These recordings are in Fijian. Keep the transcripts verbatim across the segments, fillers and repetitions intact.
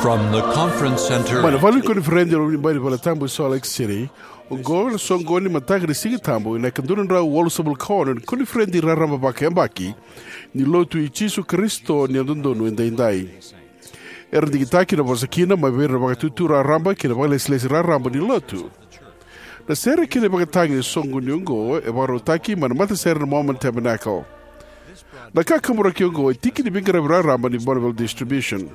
From the conference center. Mai na vale ni koniferedi e loma ni bai ni valetabu e Salt Lake City, oqo na soqoni ni mataka ni Siga Tabu ena ika dua na drau walusagavulu ka ono ni koniferedi raraba vakayabaki ni Lotu i Jisu Karisito ni Yalododonu Edaidai. Era digitaki na vosa kina mai vei ira na vakatutu raraba kei na vakalesilesi raraba ni Lotu. Na sere kei na ivakatagi ni soqoni oqo e vakarautaki mai na matasere na Mormon Tabernacle. Na kakaburaki oqo e tiki ni veiqaravi raraba ni Bonneville Distribution.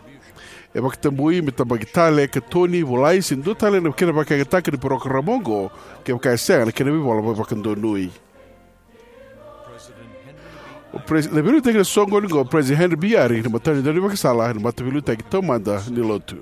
E vakatabui me tabaki tale, katoni, volai se dua tale na kena vakayagataka ni parokaramu oqo kevaka e sega na kena veivola vakadonui. O pres-, na veiliutaki ni soqoni oqo o President Henry B. Eyring, na matanitu ni ivakasala ena Mataveiliutaki Taumada ni Lotu.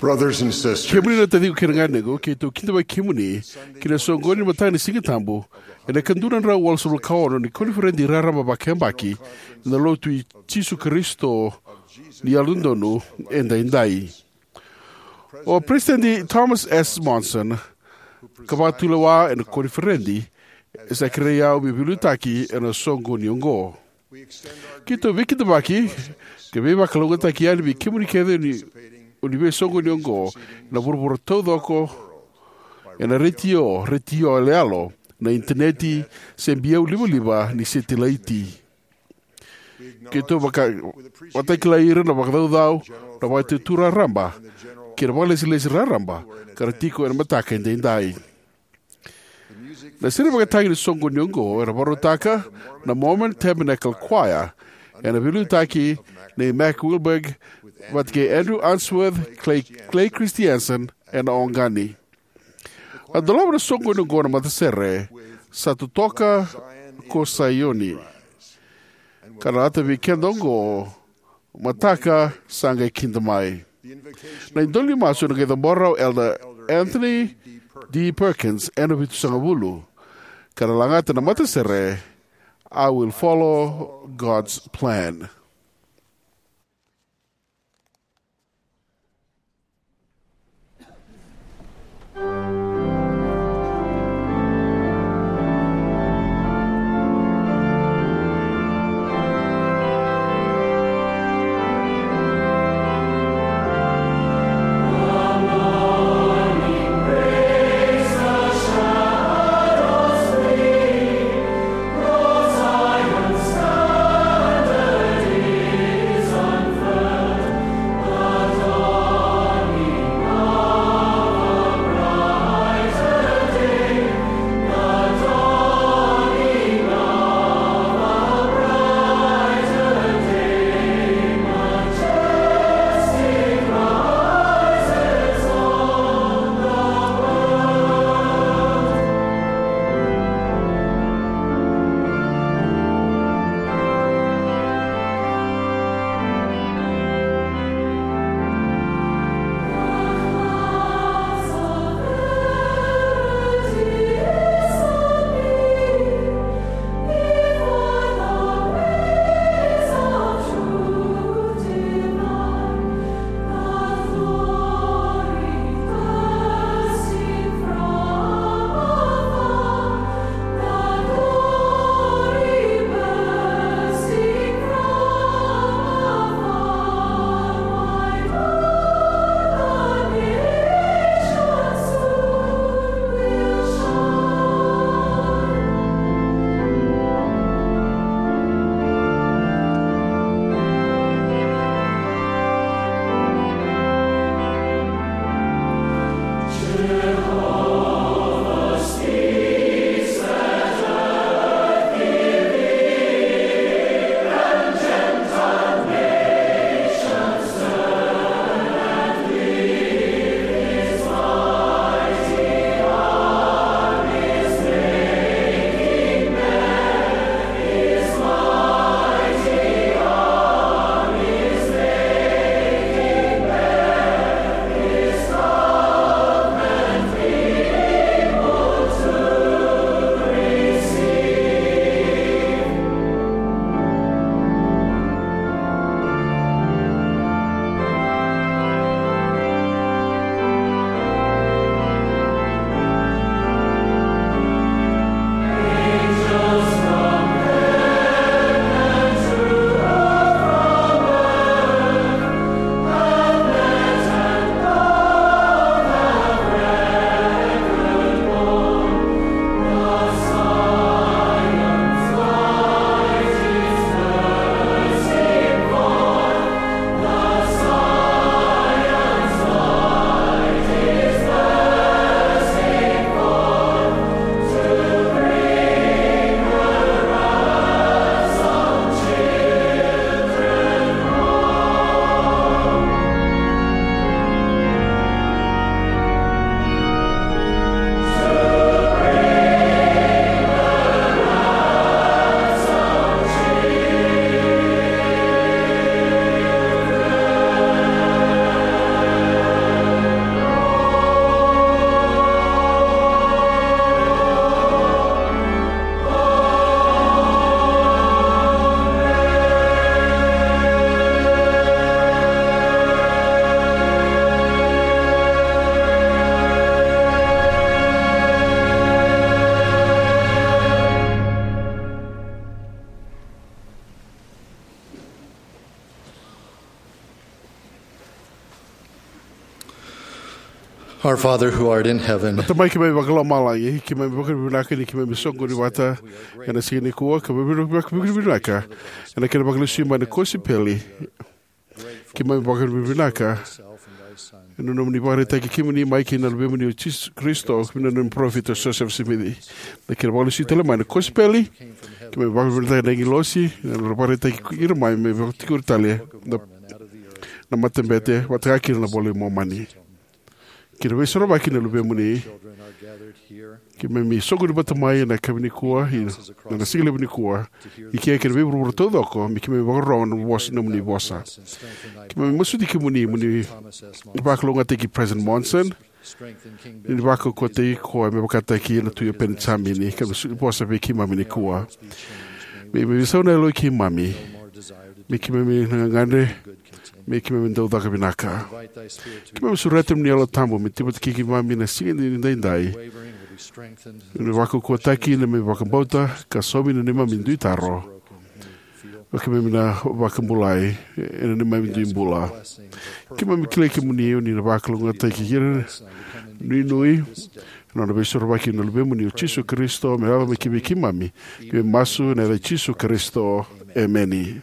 Brothers and sisters, kemuni na taciqu kei na ganequ, keitou kidavaki kemuni ki na soqoni ni mataka ni Siga Tabu ena ika dua na drau walusagavulu ka ono ni koniferedi raraba vakayabaki na Lotu i Jisu Karisito ni Yalododonu Edaidai. O President Thomas S. Monson, ka vakatulewa ena koniferedi, e sa kerei au meu veiliutaki ena soqoni oqo. Keitou veikidavaki ka veivakalougatataki yani vei kemuni kece ni, o ni veisoqoni oqo ena vuravura taucoko, ena retio, retio yaloyalo, na initaneti, se biau livaliva ni setilaiti. Keitou vaka-, vakatakilai ira na vakacaucau, na vakatutu raraba kei na vakalesilesi raraba ka ra tiko ena mataka edaidai. Na sere vakatagi ni soqoni oqo era vakarautaka na Mormon Tabernacle Choir, ena veiliutaki nei Mac Wilberg vata kei Andrew Unsworth, Clay, Clay Christensen ena oqani. A dolava na soqoni oqo na matasere, Sa Totoka ko Saioni. Ka na lata vei keda oqo, Mataka sa qai kida mai. Na idola ni masu ena qai cabora o Elder Anthony D. Perkins ena vitusagavulu. Ka na lagata na matasere, I Will Follow God's Plan. Our Father who art in heaven, Tamai keimami vakalomalagi, keimami vakavinavinaka ni keimami soqoni vata ena siga nikua, keimami vakavinavinaka ena kena vakalesui mai na kosipeli. Keimami vakavinavinaka ena nomuni vakaraitaki kemuni mai kei na Luvemuni o Jisu Karisito, kei na nomuni parofita o Josefa Simici. Na kena vakalesui tale mai na kosipeli, keimami vakavinavinaka na agilosi ena vakaraitaki ira mai me vakatikori tale na, na matabete vata kei na iVola i Momani. Kei na veisorovaki na Luvemuni, keimami soqoni vata mai ena yakavi nikua, ena siga levu nikua, i ke kei na veivuravura taucoko, me keimami vakarorogo na vosa, nomuni vosa. Keimami masuti kemuni mo ni vakalougatataki President Monson, ni vakaukauwataki koya me vakataki na Tui o Penijamini, ka me soli vosa vei keimami nikua. Me, me veisau na yalo i keimami, me keimami na gagadre, me keimami dau caka vinaka. Keimami sureta nomuni Yalo Tabu me tiko vata kei keimami na siga ni daidai. Me vakaukauwataki na neimami vakabauta, ka saumi na neimami dui taro. Keimami na vakabulai ena neimami dui bula. Keimami kilai kemuni o ni na vakalougatataki ira, nuinui, ena nona veisorovaki na Luvemuni o Jisu Karisito, me yaco mai ki vei keimami. Keimami masu ena yaca i Jisu Karisito. Emeni.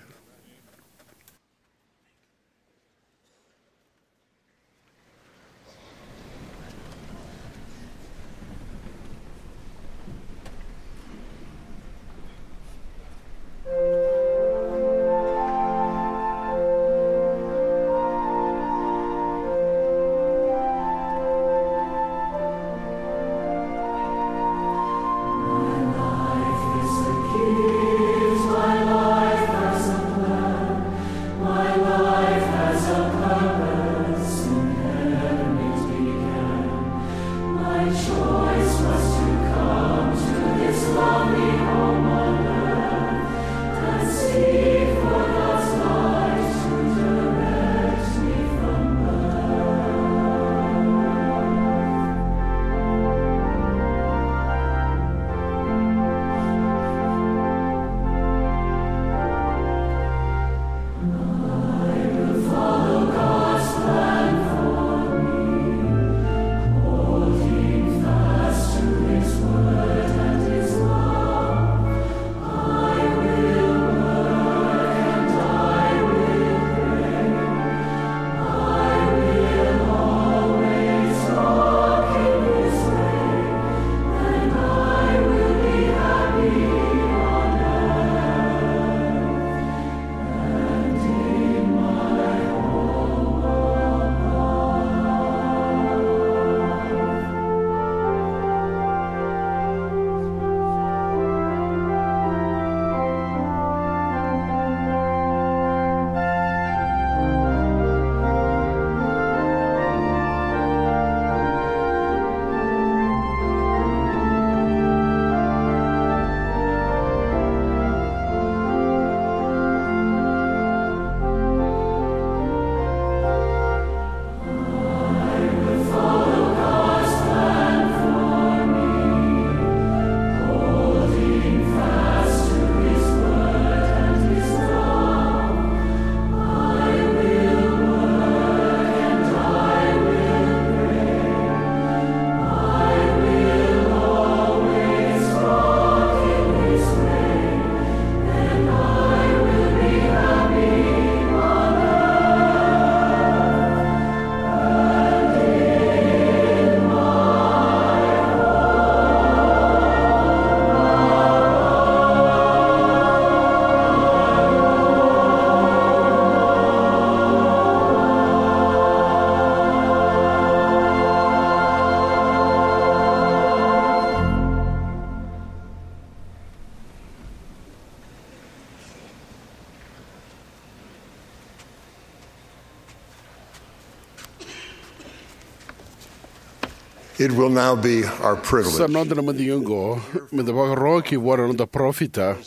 It will now be our privilege. Sa noda na madigi oqo me da vakarorogo kina vua na noda parofita,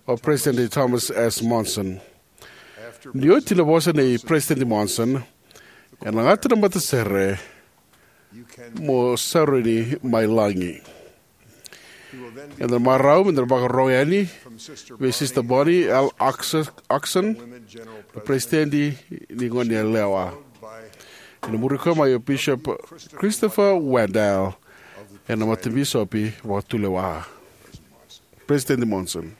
o President Thomas S. Monson. Ni oti na vosa nei President Monson, ena gata na matasere, mo saruni mai lagi. Ena marau me da vakarorogo yani vei Sister Bonnie L. Ox-, Oxon, na President ni Goneyalewa. Ena muri koya mai o Bishop Christopher Waddell ena Matabisopi Vakatulewa. President Monson.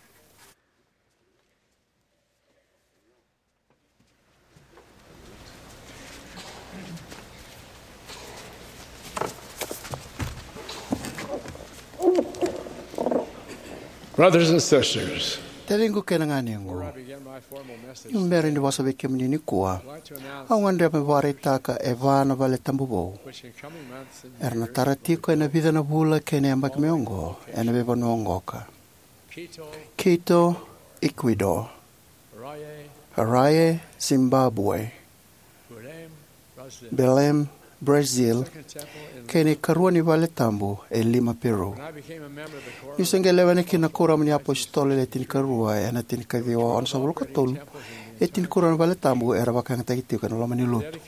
Brothers and sisters, taciqu kei na ganequ, ni bera ni vosa vei kemuni nikua, au gadreva me vakaraitaka e va na vale tabu vou era na tara tiko ena vica na vula kei na yabaki mai oqo ena veivanua oqo ka: Quito, Ecuador; Harare, Zimbabwe; Belém, Brazil; kei na ikarua ni vale tabu e Lima, Peru. Niu se qai lewena kina na Kuoramu ni iApositolo Le Tinikarua ena tinikaciwa onosagavulu ka tolu, e tinikarua na vale tabu era vakayagataki tiko ena loma ni lotu.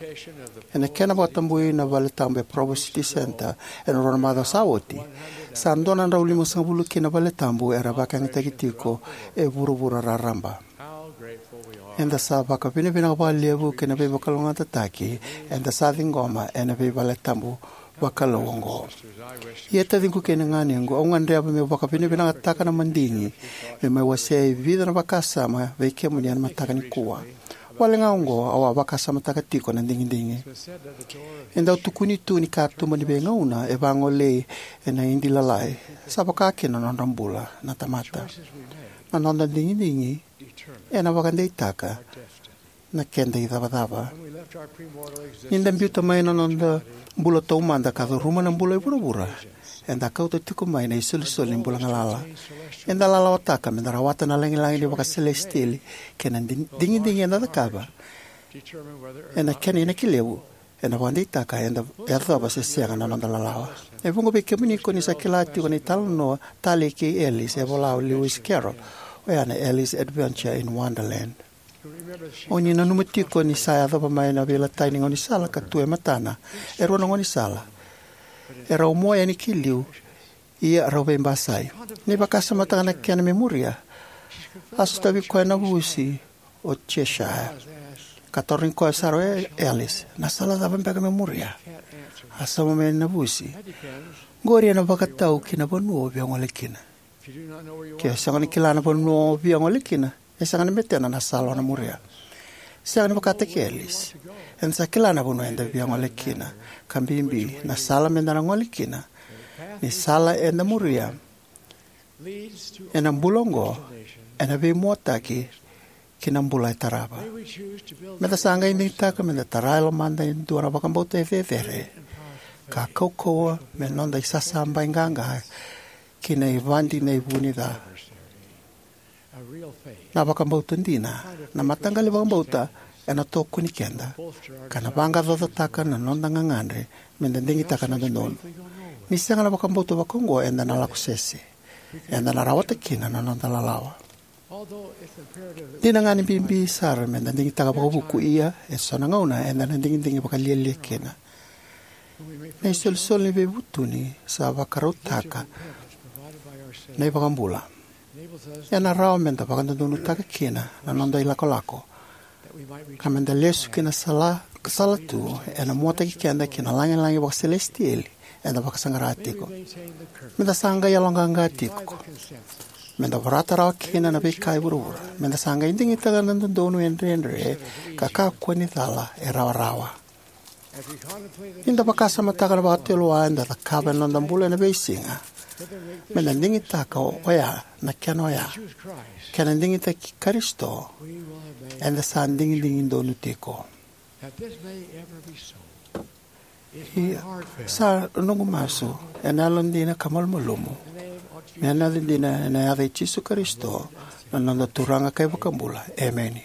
Ena kena vakatabui na vale tabu e Provo City Center ena rua na macawa sa oti, sa dua na drau limasagavulu kina na vale tabu era vakayagataki tiko e vuravura raraba. Eda sa vakavinavinaka vakalevu ki na veivakalougatataki eda sa ciqoma ena veivale tabu vakalou oqo. Ia, taciqu kei na ganequ, au gadreva meu vakavinavinakataka na madigi me mai wasea e vica na vakasama vei kemuni ena mataka nikua. Wale ga oqo au a vakasamataka tiko na digidigi. E dau tukuni tu ni katuba ni veigauna e vagolei ena idi lalai, sa vaka kina na nodra bula na tamata. Na noda digidigi ena vakadeitaka na keda icavacava. Ni da biuta mai na noda bula taumada ka curuma na bula e vuravura, eda kauta tiko mai na isolisoli ni bula galala. Eda lalawataka meda rawata na lagilagi ni vakaselesitieli kei na di-, digidigi eda cakava ena kena inaki levu, ena vakadeitaka eda yacova se sega na noda lalawa. E vuqa vei kemuni ko ni sa kila tiko na italanoa talei kei Alice e vola o Lewis Carroll, oya na Alice Adventure in Wonderland. O ni nanuma tiko ni sa yacova mai na veilatai ni gaunisala ka tu e matana e rua na gaunisala. E rau mua yani ki liu, ia rau veibasai. Ni vakasamataka na kena me muria, a sotavi koya na vusi o Cheshire. Ka tarogi koya sara o Alice, "Na sala cava beka me muria?" A sauma mai na vusi, "Qori ena vakatau ki na vanua o via gole kina. Ke o sega ni kila na vanua o via gole kina, e sega ni betena na sala o na muria." Sega ni vakataki Alice. Eda sa kila na vanua eda via gole kina, ka bibi na sala meda na gole kina. Ni sala eda muria ena bula oqo ena veimuataki ki na bula e tarava. Meda sa qai digitaka meda tara e lomada e dua na vakabauta e cecere ka kaukauwa me noda isasabaqaqa ki na ivadi na ivu ni ca. Na vakabauta dina, na mataqali vakabauta ena tokoni keda ka na vaqaqacotaka na noda gagadre meda digitaka na dodonu. Ni sega na vakabauta vakaoqo, eda na lako sese. Eda na rawata kina na noda lalawa. Dina ga ni bibi sara meda digitaka vakavuku, ia e so na gauna eda na digidigi vakalialia kina. Na isolisoli ni veivutuni sa vakarautaka na iVakabula. Ena rawa meda vakadodonutaka kina na noda ilakolako ka meda lesu ki na sala, sala tu ena muataki keda ki na lagilagi vakaselesitieli eda vakasaqara tiko. Meda sa qai yaloqaqa tiko. Meda vorata rawa kina na veika e vuravura. Meda sa qai digitaka na dodonu e dredre ka kakua ni cala e rawarawa. Ni da vakasamataka na vakatulewa eda cakava ena noda bula ena veisiga, meda digitaka oya na kena oya. Kena digitaki Karisito, eda sa digidigi donu tiko. Ia, sa noqu masu ena yalodina ka malumalumu, me na yaco dina ena yaca i Jisu Karisito, na noda Turaga ka iVakabula. Emeni.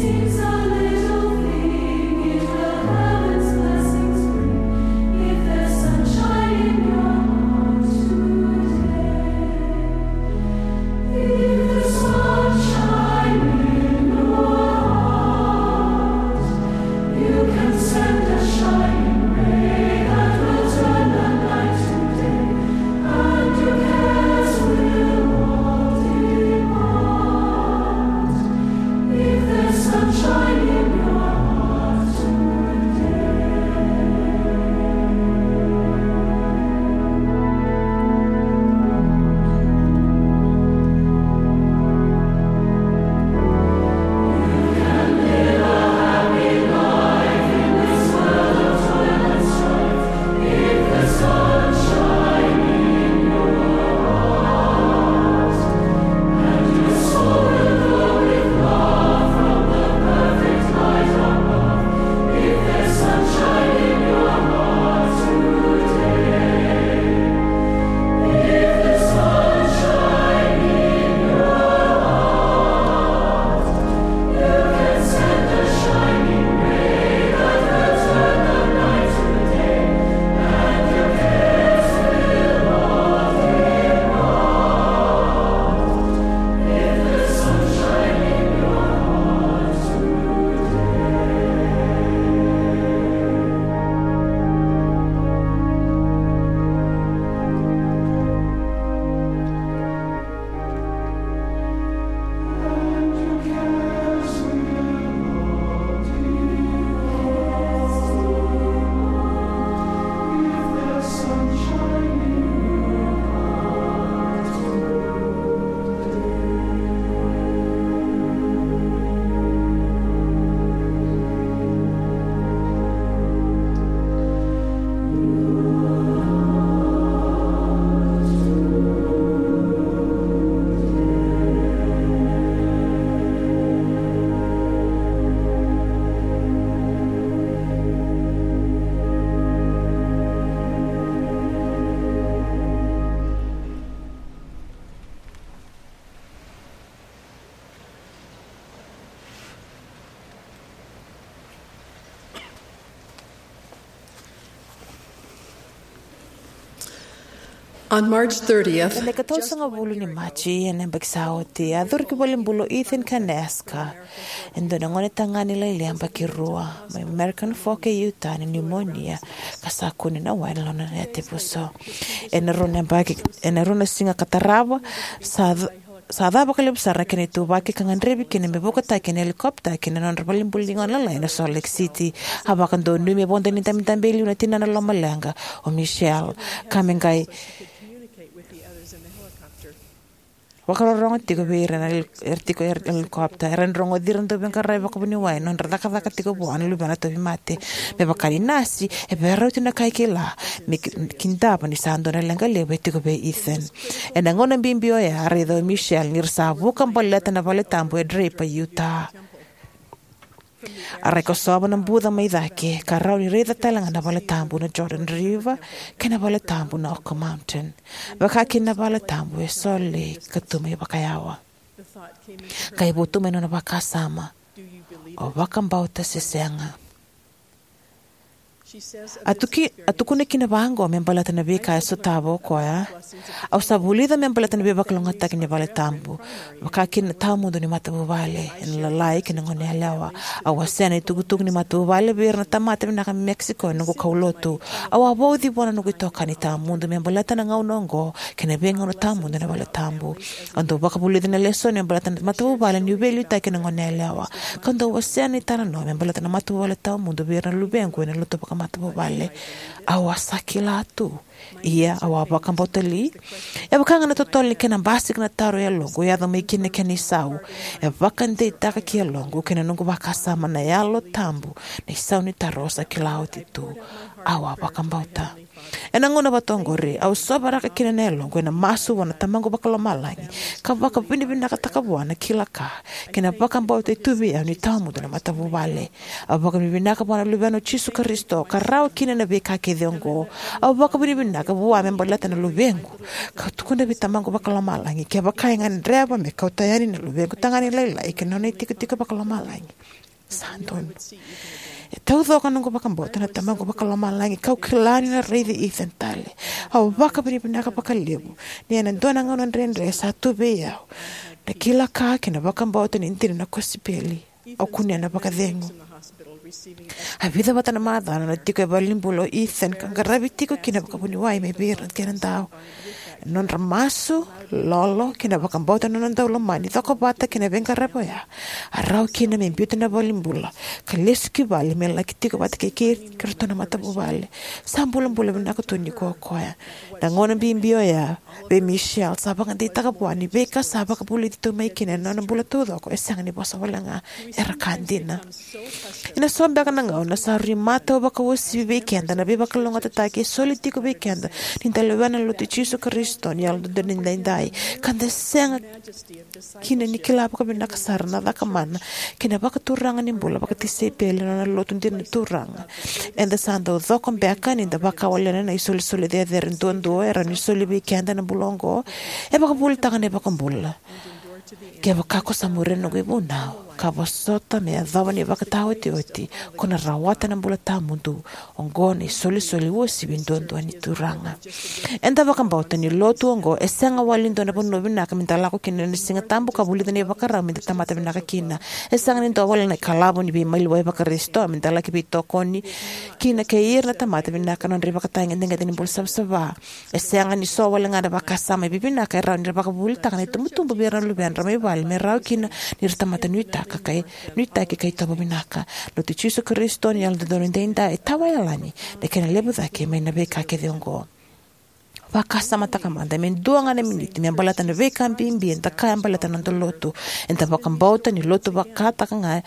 It's a little thing, it will come and blessings bring. If there's sunshine in your heart today, if there's sunshine in your heart, you can send a shining ray that will turn the night to day, and your cares will all depart. If there's sunshine in your heart today. On March thirtieth, ena ikatolusagavulu ni Maji ena yabaki sa oti, a curu ki valenibula o Ethan Kaneska, e dua na gone tagane lailai yabaki rua mai American Fork e Utah, na pneumonia ka sa kune na wai ena nona yatevuso. Ena rua na yabaki, ena rua na siga ka tarava, sa sa ca vakalevu sara na kena ituvaki ka gadrevi kina me vukataki ena helicopter ki na nodra valenibula ni gone lalai ena Salt Lake City. A vakadonui me vodo ni dabedabe e liu na tinana lomaleqa, o Michelle, ka me qai vakarorogo tiko vei ira na heli-, era tiko ena helicopter. Era na rogoci ira dau veiqaravi vakavuniwai ena nodra cakacaka tiko vua na luvena tauvimate. Me vaka ni nasi, e veirauti na ka e kila, me ki-, kidava ni sa dua na leqa levu e tiko vei Ethan. Ena gauna bibi oya, a raica o Michelle ni ra sa vuka baleta na valetabu e Draper, Utah. A rai kosova na buca mai cake, ka rawa ni raica tale ga na valetabu na Jordan River kei na valetabu na Oquirrh Mountain, vaka kina na valetabu e Salt Lake ka tu mai vakayawa. Qai votu mai nona vakasama, "O vakabauta se sega?" A tuki-, a tukuna kina vaqo me baleta na veika e sotava o koya: "Au sa vulica me baleta na veivakalougatataki ni valetabu, vaka kina na tawamudu ni matavuvale, ena lalai kei na goneyalewa. Au wasea na itukutuku ni matavuvale vei ira na tamata vinaka mai Mexico ena noqu kaulotu. Au a vauci vua na noqu itokani tawamudu me baleta na gauna oqo kei na veigauna tawamudu ena valetabu. Au dau vakavulica na lesoni me baleta na matavuvale niu veiliutaki ena goneyalewa, kau dau wasea na italanoa me baleta na matavuvale tawamudu vei ira na luvequ ena lotu vakamatavuvale. Au a sa kila tu. Ia, au a vakabauta li?" E vaka ga na totolo ni kena basika na taro e yaloqu, e yaco mai kina na kena isau. E vakadeitaka ki yaloqu kei na noqu vakasama na Yalo Tabu na isau ni taro au sa kila oti tu. Au a vakabauta. Ena gauna vata oqori, au sovaraka kina na yaloqu ena masu vua na Tamaqu Vakalomalagi, ka vakavinavinakataka vua na kila ka kei na vakabauta e tu vei au ni tawamudu na matavuvale. Au vakavinavinaka vua na Luvena o Jisu Karisito, ka rawa kina na veika kece oqo. Au vakavinavinaka vua me baleta na luvequ, kau tukuna vei Tamaqu Vakalomalagi, kevaka e gadreva me kauta yani na luvequ tagane lailai ki na nona itikotiko vakalomalagi, sa donu. E taucoko na noqu vakabauta na Tamaqu Vakalomalagi, kau kila ni na raici Ethan tale. Au vakavinavinaka vakalevu ni ena dua na gauna dredre sa tu vei au na kila ka kei na vakabauta ni dina na kosipeli. Au kunea na vakacegu. A vica vata na macawa na tiko e valenibula o Ethan, ka qaravi tiko kina vakavuniwai mai vei ira na kenadau. Ena nodra masu, lolo, kei na vakabauta na nona daulomani cokovata kei na veiqaravi oya, a rawa kina me biuta na valenibula ka lesu ki vale me laki tiko vata kei, kei iratou na matavuvale. Sa bulabula vinaka tu nikua o koya. Na gauna bibi oya vei Michelle sa vakadeitaka vua ni veika sa vakavulici tu mai kina ena nona bula taucoko e sega ni vosa wale ga, era ka dina. Ena so beka na gauna sa rui matau vakauasivi vei keda na veivakalougatataki e soli tiko vei keda ni da lewena na Lotu i Jisu Karisito ni Yalododonu Edaidai, ka da sega kina ni kila vakavinaka sara na caka mana kei na vakaturaga ni bula vakatisaipeli ena nona lotu dina na Turaga. Eda sa dau coko beka ni da vakawalena na isolisoli cecere duadua e rawa ni soli vei keda ena bula oqo? E vakavuvulitaka na iVakabula: Kevaka ko sa muria na noqu ivunau ka vosota me yacova na ivakataotioti, ko na rawata na bula tawamudu. Oqo na isolisoli uasivi duadua ni Turaga. Eda vakabauta ni lotu oqo e sega wale ni dua na vanua vinaka me da lako kina ena Sigatabu ka vulica na ivakarau me da tamata vinaka kina. E sega ni dua wale na ikalavu ni veimaliwai Vakarisito me da laki veitokoni kina kei ira na tamata vinaka ena nodra ivakatagedegede ni bula savasava. E sega ni so wale ga na vakasama e vivinaka e rawa ni ra vakavuvulitaka na itubutubu vei ira na luvedra mai vale me rawa kina ni ra tamata nuitaka ka, nuitaki ka itovo vinaka. Lotu i Jisu Karisito ni Yalododonu Edaidai e tawayalani na kena levu cake mai na veika kece oqo. Vakasamataka mada me dua ga na miniti me baleta na veika bibi eda kaya baleta na noda lotu. Eda vakabauta ni lotu vakataka ga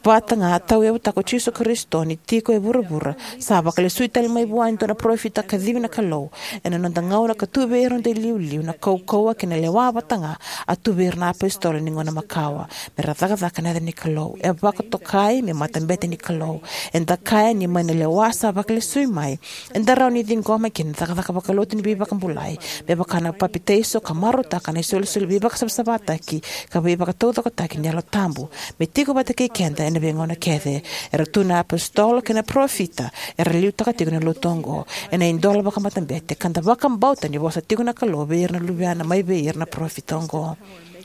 vata ga a tauyavutaka o Jisu Karisito ni tiko e vuravura, sa vakalesui tale mai vua e dua na parofita kacivi na Kalou ena noda gauna ka tu vei ira na noda iliuliu na kaukauwa kei na lewa vata ga a tu vei ira na apositolo ni gauna makawa, me ra cakacaka ena yaca ni Kalou. E vakatokai me matabete ni Kalou. Eda kaya ni mai na lewa sa vakalesui mai, eda rawa ni ciqoma kina na cakacaka vakalotu ni veivakabulai, me vaka na papitaiso, ka marautaka na isolisoli veivakasavasavataki ka veivakataucokotaki ni Yalo Tabu me tiko vata kei keda ena veigauna kece. Era tu na apositolo kei na parofita era liutaka tiko na lotu oqo ena idola vakamatabete, ka da vakabauta ni vosa tiko na Kalou vei ira na luvena mai vei ira na parofita oqo.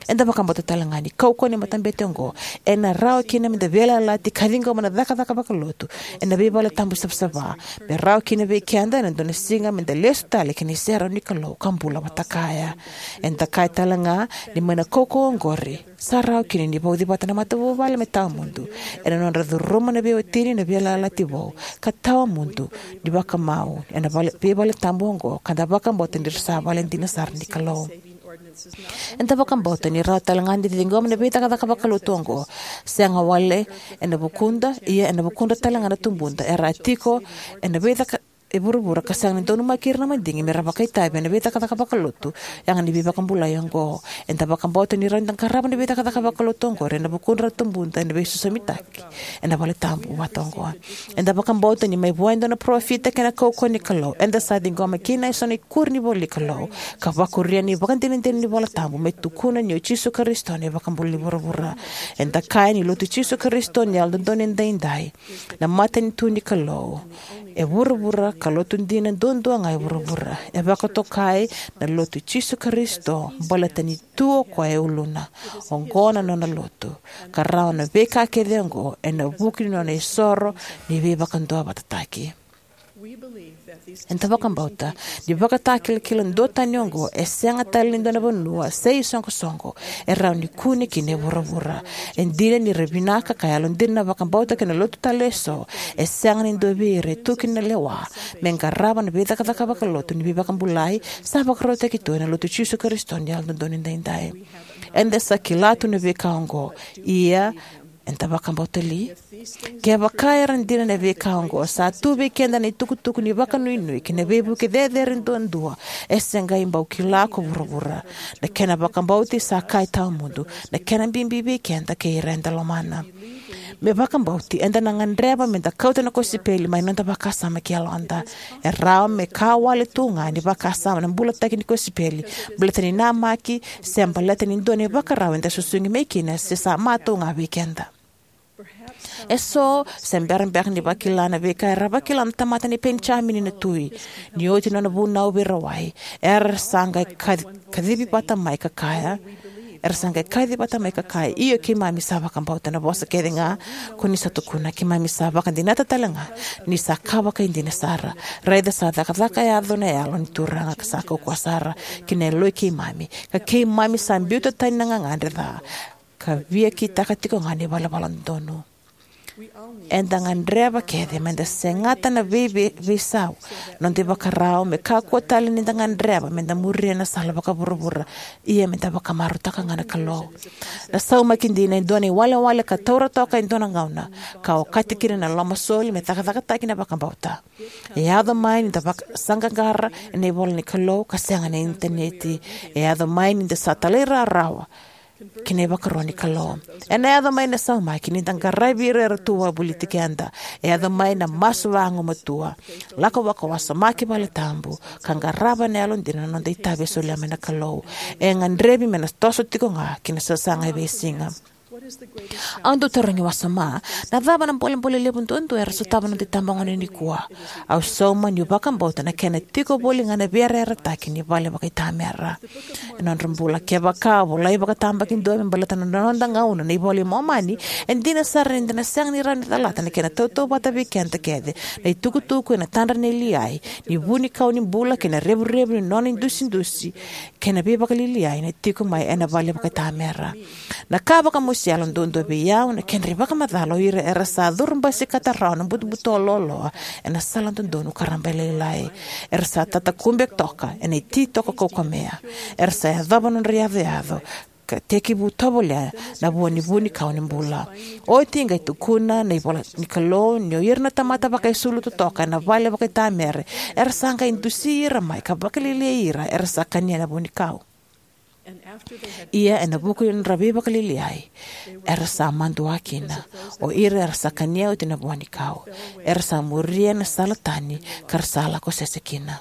Eda vakabauta tale ga ni kaukauwa ni matabete oqo ena rawa kina me da veiyalayalati ka ciqoma na cakacaka vakalotu ena veivale tabu savasava, me rawa kina vei keda ena dua na siga me da lesu tale ki na iserau ni Kalou ka bula vata kaya. Eda kaya tale ga ni mai na kaukauwa oqori sa rawa kina ni vauci vata na matavuvale me tawamudu ena nodra curuma na veiwatini na veiyalayalati vou ka tawamudu ni vakamau ena vale, veivale tabu oqo, ka da vakabauta ni ra sa vale dina sara ni Kalou. Eda vakabauta ni rawa tale ga ni da ciqoma na veicakacaka vakalotu oqo, sega wale ena vukuda, ia ena vukudra tale ga na tubuda era a tiko ena veicaka e vuravura ka sega ni donumaki ira na madigi me ra vakaitavi ena veicakacaka vakalotu yaga ni veivakabulai oqo. Eda vakabauta ni rawa ni da qarava na veicakacaka vakalotu oqori ena vukudra na tubuda ena veisosomitaki ena vale tabu vata oqo. Eda vakabauta ni mai vua e dua na parofita kei na kaukauwa ni Kalou eda sa ciqoma kina eso na ikuri ni ivolanikalou ka vakuria na ivakadinadina ni iVola Tabu me tukuna ni o Jisu Karisito na iVakabula ni vuravura. Eda kaya ni Lotu i Jisu Karisito ni Yalododonu Edaidai, na matanitu ni Kalou e vuravura ka lotu dina duadua ga e vuravura. E vakatokai na Lotu i Jisu Karisito baleta ni tu o koya e uluna. Oqo na nona lotu, ka rawa na veika kece oqo ena vuku ni nona isoro ni veivakaduavatataki. Eda vakabauta ni ivakatakilakila duatani oqo e sega tale ni dua na vanua se isoqosoqo e rawa ni kune kina e vuravura. E dina ni ra vinaka ka yalodina na vakabauta kei na lotu tale eso, e sega ni dua vei ira e tu kina na lewa me qarava na veicakacaka vakalotu ni veivakabulai sa vakarautaki tu ena Lotu i Jisu Karisito ni Yalododonu Edaidai. Eda sa kila tu na veika oqo, ia Eda vakabauta li? Kevaka era dina na veika oqo, sa tu vei keda na itukutuku ni vakanuinui kei na veivuke cecere duadua e se qai bau kila ko vuravura. Na kena vakabauti sa ka e tawamudu, na kena bibi vei keda kei ira eda lomana. Me vakabauti, eda na gadreva meda kauta na kosipeli mai noda vakasama ki yaloda. E rawa me ka wale tu ga ni vakasama na bulataki ni kosipeli, baleta ni namaki, se baleta ni dua na ivakarau eda susugi mai kina se sa matou ga vei keda. E so se bera beka ni vakila na veika era vakila na tamata nei Penijamini na tui. Ni oti nona vunau veirawai, era sa qai ka- kacivi vata mai ka kaya, era sa qai kaci vata mai ka kaya, "Io, keimami sa vakabauta na vosa kece ga ko ni sa tukuna. Keimami sa vakadinata tale ga ni sa ka vakaidina sara. Raica sa cakacaka yaco na Yalo ni Turaga ka sa kaukauwa sara ki na yaloi keimami, ka keimami sa biuta tani na gagadre ca ka via kitaka tiko ga na ivalavala dodonu." Eda gadreva kece meda segata na vei- vei- veisau, noda ivakarau, me kakua tale ni da gadreva meda muria na sala vakavuravura, ia meda vakamarautaka ga na Kalou. Na saumaki dina e dua na iwalewale ka taura toka e dua na gauna, ka okati kina na lomasoli me cakacakataki na vakabauta. E yaco mai ni da vaka- saqaqara ena ivola ni Kalou ka sega na initaneti. E yaco mai ni da sa talairawarawa ki na ivakaro ni Kalou. Ena yaco mai na saumaki ni da qaravi ira era tu wavoliti keda. E yaco mai na masu vagumatua, lako vakawasoma ki valetabu, ka qarava ena yalodina na noda itavi e solia mai na Kalou. E gadrevi me na toso tiko ga ki na sasaga e veisiga. Au dau tarogi wasoma, na cava na bolebole levu duadua era sotava na noda itabagone nikua? Au sauma niu vakabauta na kena tiko voli ga na veiyarayarataki ni vale vakaitamera. E nodra bula, kevaka a volai vakatabakidua me baleta na noda gauna na iVola i Momani, e dina sara ni da na sega ni rawa ni calata na kena tautauvata vei keda kece na itukutuku ena tadra nei Liai ni vunikau ni bula kei na revurevu ni nona idusidusi kei na veivakaliliai na tiko mai ena vale vakaitamera. Na ka vakamosi yalo duadua vei au na kedra ivakamacala o ira era sa curubasikata rawa na butobuto loaloa ena sala dodonu ka rabailailai. Era sa tatakube toka ena ititoko kaukamea. Era sa yacova nodra iyacoyaco ka tekivu tovolea na vua ni vunikau ni bula. Oti qai tukuna na ivola ni Kalou ni o ira na tamata vakaisulu totoka ena vale vakaitamere era sa qai dusi ira mai ka vakalialiai ira era sa kania na vunikau. Ia ena vuku ni nodra veivakaliliai era sa madua kina, o ira era sa kania oti na vuanikau, era sa muria na sala tani ka ra sa lako sese kina.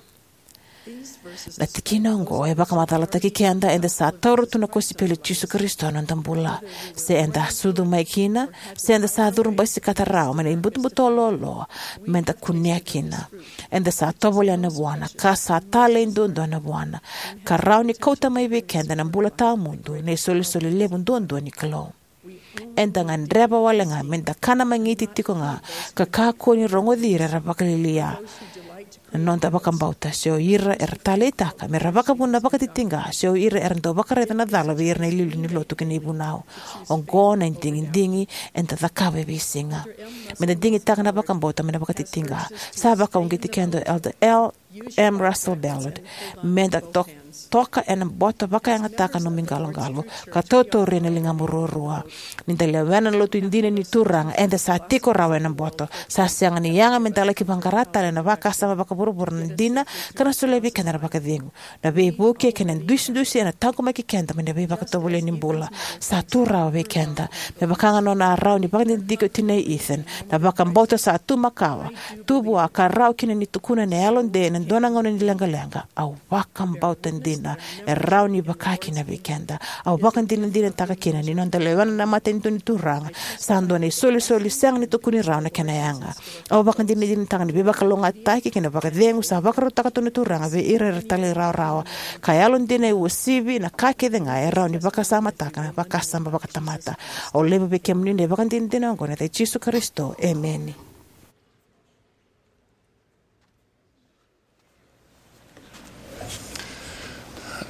Na tikina oqo e vakamacalataki keda eda sa taura tu na kosipeli i Jisu Karisito ena noda bula. Se eda sucu mai kina, se eda sa curubasikata rawa mai na ibutobuto loaloa, meda kunea kina. Eda sa tovolea na vuana, ka sa talei duadua na vuana, ka rawa ni kauta mai vei keda na bula tawamudu na isolisoli levu duadua ni Kalou. Eda gadreva wale ga meda kana magiti tiko ga ka kakua ni rogoci ira era vakalialia na noda vakabauta, se o ira era taleitaka me ra vakavuna vakatitiqa, se o ira era dau vakaraica na cala vei ira na iliuliu ni lotu kei na ivunau. Oqo na digidigi eda cakava e veisiga. Meda digitaka na vakabauta mai na vakatitiqa. Sa vakauqeti keda o Elder L M Russell Ballard meda to- toka ena boto, vakayagataka nomu iqaloqalo, ka tautauri ena ligamu ruarua. Ni da lewena na lotu dina ni Turaga, eda sa tiko rawa ena boto. Sa sega ni yaga meda laki vaqara tale ena vakasama vakavuravura na dina ka na solia vei keda na vakacegu. Na veivuke kei na idusidusi ena taqomaki keda mai na veivakatovolei ni bula. Sa tu rawa vei keda. Me vaka ga nona a rawa ni vakadidike o tinai Ethan, na vakabauta sa tu makawa, tu vua ka rawa kina ni tukuna ena yalote ena dua na gauna ni leqaleqa, "Au vakabauta dina." E rawa ni vaka kina vei keda. Au vakadinadinataka kina ni noda lewena na matanitu ni Turaga sa dua na isolisoli sega ni tukuni rawa na kena yaga. Au vakadinadinataka ni veivakalougatataki kei na vakacegu sa vakarautaka tu na Turaga vei ira era talairawarawa, ka yalodina e uasivi na ka kece ga e rawa ni vakasamataka na vakasama vakatamata. Au laiva vei kemuni na ivakadinadina oqo ena yaca i Jisu Karisito, emeni.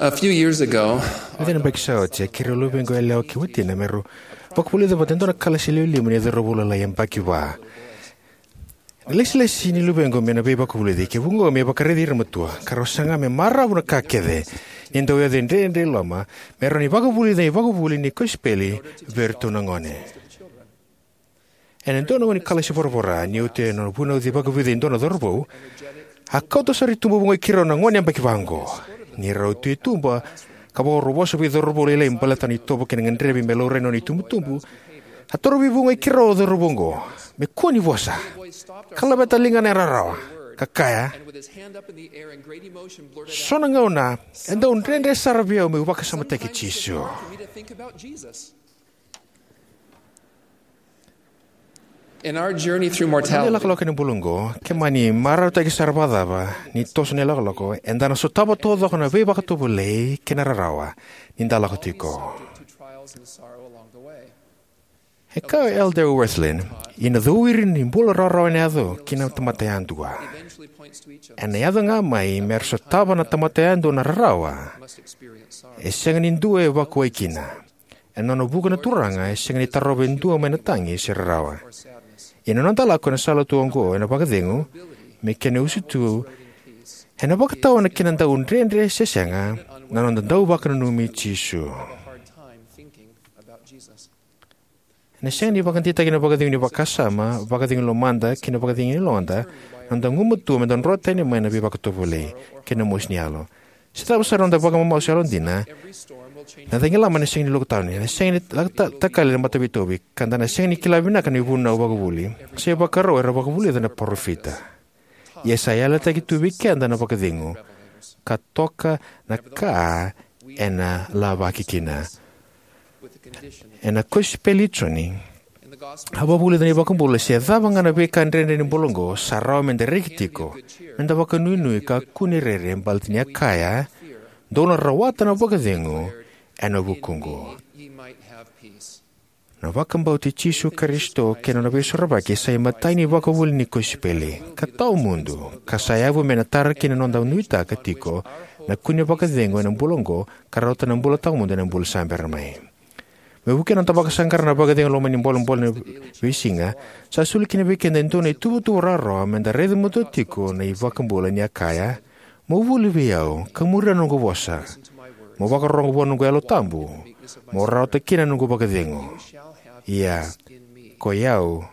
A few years ago, na cina baki sa oti, a keirau luvequ yalewa kei watina me rau vakavulica vata e dua na kalasi lewe lima ni cauravou lalai yabaki va. Na lesilesi ni luvequ mai na veivakavulici kei vuqa me vakaraici ira na matua, ka rau saga me maravu na ka kece ni dau yaco e dredre i loma me rawa ni vakavulica na ivakavuvuli ni kosipeli vei iratou na gone. Ena dua na gauna ni kalasi voravora, ni oti na vunauci vakavica e dua na cauravou, a kauta sara i tuba vagoi keirau na gone yabaki vaqo. Ni rau tu i tuba ka vakarau vosa vei cauravou lailai baleta na itovo kei na gadrevi me laurai na nona itubutubu, a torovi vagoi keirau o cauravou oqo me kua ni vosa, ka laveta ligana e rarawa, ka kaya, "So na gauna e dau dredre sara vei au meu vakasamataki Jisu." In our journey through Na mortality, ilakolako ena bula oqo, ke mani marautaki sara vakacava ni toso na ilakolako, eda na sotava taucoko na veivakatovolei kei na rarawa ni da lako tiko. E kaya o Elder Wirthlin, "Ia na cowiri ni bula rawarawa ena yaco ki na tamata yadua. Ena yaco ga mai me ra sotava na tamata yadua na rarawa. E sega ni dua e vakuwai kina. Ena nona vuku na Turaga, e sega ni tarova e dua mai na tagi se rarawa. Ia na noda lako ena sala tu oqo ena vakacegu, me kena usutu, ena vakatawa na kena dau dredre se sega na noda dau vakananumi Jisu." Ena sega ni vakadeitaki na vakacegu ni vakasama, vakacegu ni lomada, kei na vakacegu ni yaloda na noda gumatua me da drotani mai na veivakatovolei kei na mosi ni yalo. Se cava sara na noda vakamamasu yalodina, na cagilaba ena sega ni lokutani, ena sega ni ta-, ta-, takali na mataveitauvi, ka da na sega ni kila vinaka na ivunau vakavuli se ivakarau era vakavulica na parofita. Ia sa yalataki tu vei keda na vakacegu, ka toka na ka ena lavaki kina. Ena kosipeli i Joni, a vakavulica na iVakabula se cava ga na veika dredre ni bula oqo, sa rawa me da reki tiko, me da vakanuinui ka kune rere, baleta ni a kaya, "Dou na rawata na vakacegu ena vukuqu." Na vakabauti Jisu Karisito kei na nona veisorovaki sa imatai ni vakavuli ni kosipeli ka tawamudu, ka sa yavu me na tara kina na noda nuitaka tiko na kune vakacegu ena bula oqo ka rawata na bula tawamudu ena bula sa bera mai. Me vukea na noda vakasaqara na vakacegu lomani bolebole na veisiga, sa soli kina vei keda e dua na ituvatuva rawarawa me da raica matua tiko na iVakabula ni a kaya, "Mo vuli vei au ka muria na noqu vosa. Mo vakarorogo vua na noqu Yalo Tabu. Mo rawata kina na noqu vakacegu. Ia, ko i au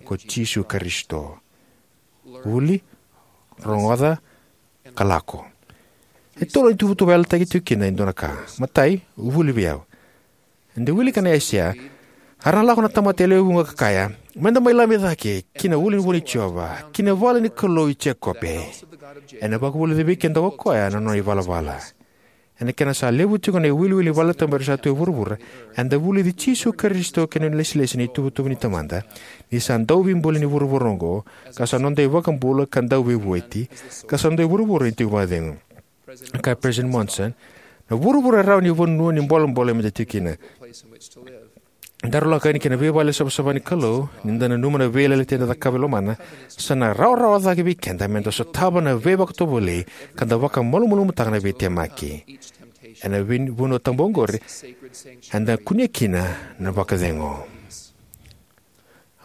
ko Jisu Karisito. Vuli, rogoca, ka lako." E tolu na ituvatuva e yalataki tiko kina e dua na ka. Matai, vuli vei au. Eda wilika na Aisea, "A ra na lako na tamata e lewe vuqa ka kaya, 'Me da mai lami cake ki na ulunivanua i Jiova, ki na vale ni Kalou i Jekope, ena vakavulica vei keda ko koya na nona ivalavala.'" Ena kena sa levu tiko na iwiliwili ni vale tabu era sa tu e vuravura, eda vulici Jisu Karisito kei na nona ilesilesi na ituvatuva ni Tamada, ni sa Dauveibuli ni vuravura oqo, ka sa noda iVakabula ka Dauveivueti, ka sa noda ivuravura ni tiko vakacegu. Kaya President Monson, "Na vuravura e rawa ni vanua ni bolebole me da tiko kina. Daru lako yani ki na veivale savasava ni Kalou, ni da nanuma na veiyalayalati eda cakava e lomana, sa na rawarawa cake vei keda me da sotava na veivakatovolei ka da vakamalumalumutaka na veitemaki. Ena vei-, vanua tabu oqori, eda kunea kina na vakacegu."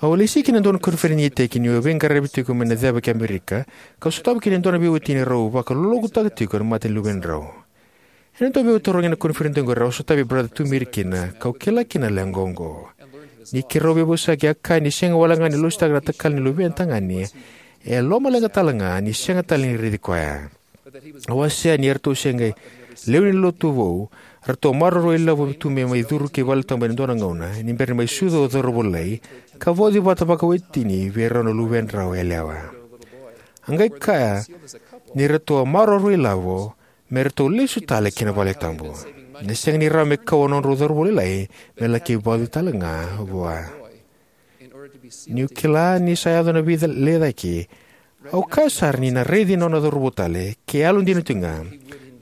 Au a lesi ki na dua na koniferedi ni iteki niu a veiqaravi tiko mai na ceva ki Amerika, kau sotava kina e dua na veiwatini rau vakalolokutaka tiko na mate ni luvedrau. Ena dua veiwatini rau ena koniferedi oqori au sotavi Brother Tumiri kina, kau kila kina na leqa oqo. Ni keirau veivosaki a kaya ni sega wale ga ni lositaka na takali ni luvena tagane, e lomaleqa tale ga ni sega tale ni raici koya. Au wasea ni eratou se qai lewe ni lotu vou, eratou maroroi ilavo tu me mai curu ki valetabu ena dua na gauna, ni bera ni mai sucu o cauravou lailai, ka vauci vata vakawatini vei rau na luvedrau yalewa. A qai kaya ni ratou a maroroi ilavo me ratou lesu tale ki na valetabu. Na sega ni rawa me kau na nodrau cauravou lailai me laki vauci tale ga vua. Niu kila ni sa yaco na veilecayaki, au kaya sara ni na raici na nona cauravou tale, ke yalodina tiko ga.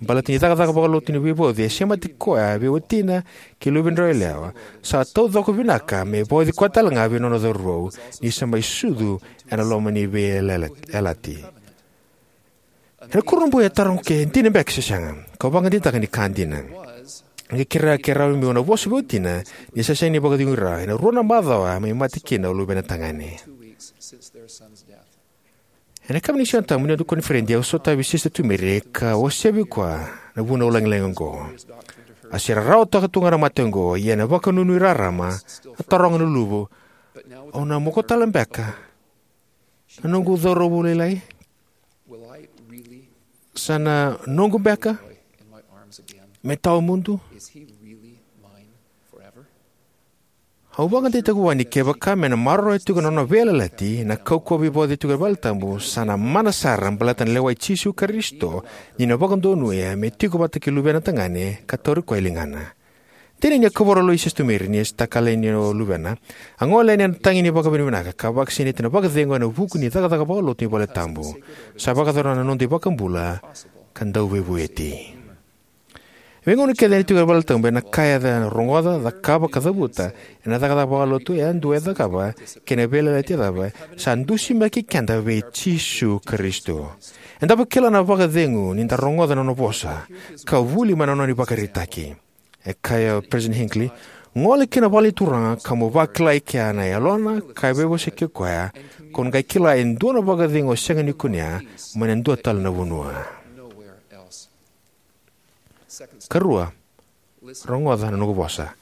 Baleta ni cakacaka vakalotu ni veivauci, e semati koya vei watina kei luvedrau yalewa, sa taucoko vinaka me vauci koya tale ga vei nona cauravou, ni sa mai sucu ena loma ni veiyalati. Ena kurabui e taroga ke dina beka se sega, kau vakadeitaka ni ka dina. Qai kerea ke rawa meu na vosa vei watina, ni sa sega ni vakacegui rawa, ena rua na macawa mai mate kina o luvena tagane. Ena yakavi ni Siga Tabu ni noda koniferedi, au sotavi Sister Tumiri ka wasea vei koya na vunau lagilagi oqo. A se rarawataka tu ga na mate oqo, ia ena vakanuinui rarama, a taroga na luvena, Au na moko tale beka na noqu cauravou lailai? Sa na noqu beka me tawamudu? Au vakadeitaka vua ni kevaka me na maroroya tiko na nona veiyalayalati na kaukauwa veivauci tiko ena valetabu, sa na mana sara baleta na lewa i Jisu Karisito ni na vakadonuya me tiko vata kei luvena tagane ka tauri koya e ligana. Dina ni a kavoro lo i Sestumiri ni a takali yani o luvena, a gole yani ena tagi ni vakavinavinaka ka vakasinaiti ena vakacegu ena vuku ni cakacaka vakalotu ni valetabu. Sa vakayacora na noda iVakabula ka Dauveivueti. E veigauna kece ena tiko ena valetabu ena ka eda rogoca, cakava ka cavuta ena cakacaka vakalotu yadua e cakava kei na veiyalayalati e cakava, sa dusimaki keda vei Jisu Karisito. Eda vakila na vakacegu ni da rogoca na nona vosa ka vuli mai na nona ivakaraitaki. E kaya o Peresitedi Hinckley, gole ki na vale ni Turaga ka mo vakila e kea na yalona ka veivosaki koya, ko na qai kila e dua na vakacegu o sega ni kunea mai na dua tale na vanua. Karua, rogoca na noqu vosa.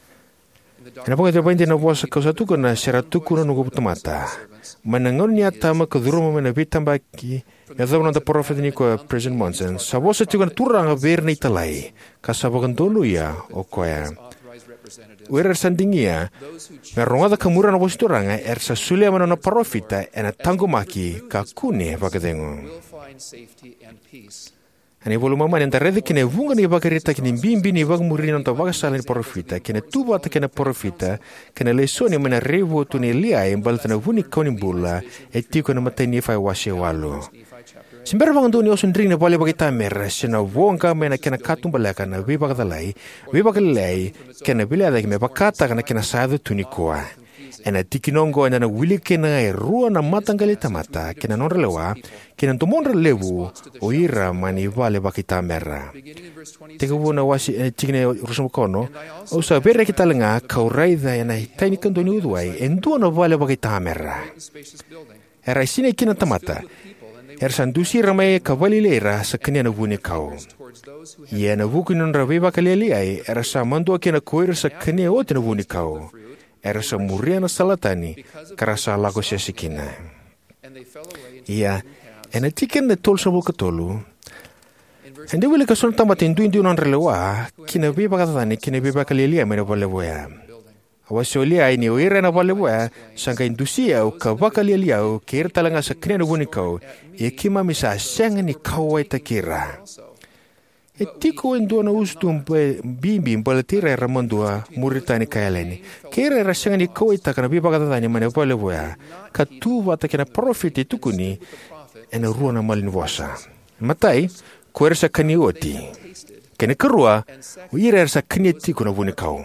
Ena vakaitavi vakaidina na vosa kau sa tukuna, se ra tukuna na noqu tamata. Mai na gauna ni Atama ka curuma mai na veitabaki me yacova na noda parofita nikua, Peresitedi Monson, sa vosa tiko na Turaga vei ira na italai ka sa vakadonuya o koya. O ira era sa digia me rogoca ka muria na vosa ni Turaga era sa solia mai na nona parofita ena taqomaki ka kune vakacegu. Ena iVola i Momani eda raica kina e vuqa na ivakaraitaki ni bibi ni vakamuri ni noda ivakasala ni parofita kei na tu vata kei na parofita, kei na lesoni mai na raivotu nei Liai baleta na vunikau ni bula e tiko ena imatai ni Nifai wase walu. Se bera vakadua ni osodrigi na vale vakaitamera se na voqa mai na kena katubaleka na veivakacalai, veivakalialiai kei na veilecayaki me vakataka na kena sa yaco tu nikua. Ena tikina oqo eda na wilika kina e rua na mataqali tamata kei na nodra lewa kei na domodra levu o ira mai na vale vakaitamera. Tekivu na wase, e, tikina e ruasagavulu ka ono, au sa veireki tale ga kau raica ena tai ni kadua ni uciwai e dua na vale vakaitamera. Era sinai kina na tamata, era sa dusi ira mai ka vakalialiai ira sa kania na vunikau. Ia ena vuku ni nodra veivakalialiai era sa madua kina ko ira sa kania oti na vunikau. Era sa muria na sala tani ka ra sa lako sese kina. Ia, ena tikina e tolusagavulu ka tolu, eda wilika so na tamata e duidui na nodra lewa ki na veivakacacani kei na veivakalialiai mai na vale levu oya. A wasea o Liai ni o ira ena vale levu oya sa qai dusi au ka vakalialiai au kei ira tale ga sa kania na vunikau, ia keimami sa sega ni kauwaitaki ira. E tiko e dua na usutu be-, bibi baleti ira era madua, Muritani ka Yaleni, kei ira era sega ni kauwaitaka na veivakacacani mai na vale levu oya, ka tu vata kei na parofita e tukuni ena rua na malanivosa. Matai, ko ira sa kania oti. Kei na karua, o ira era sa kania tiko na vunikau.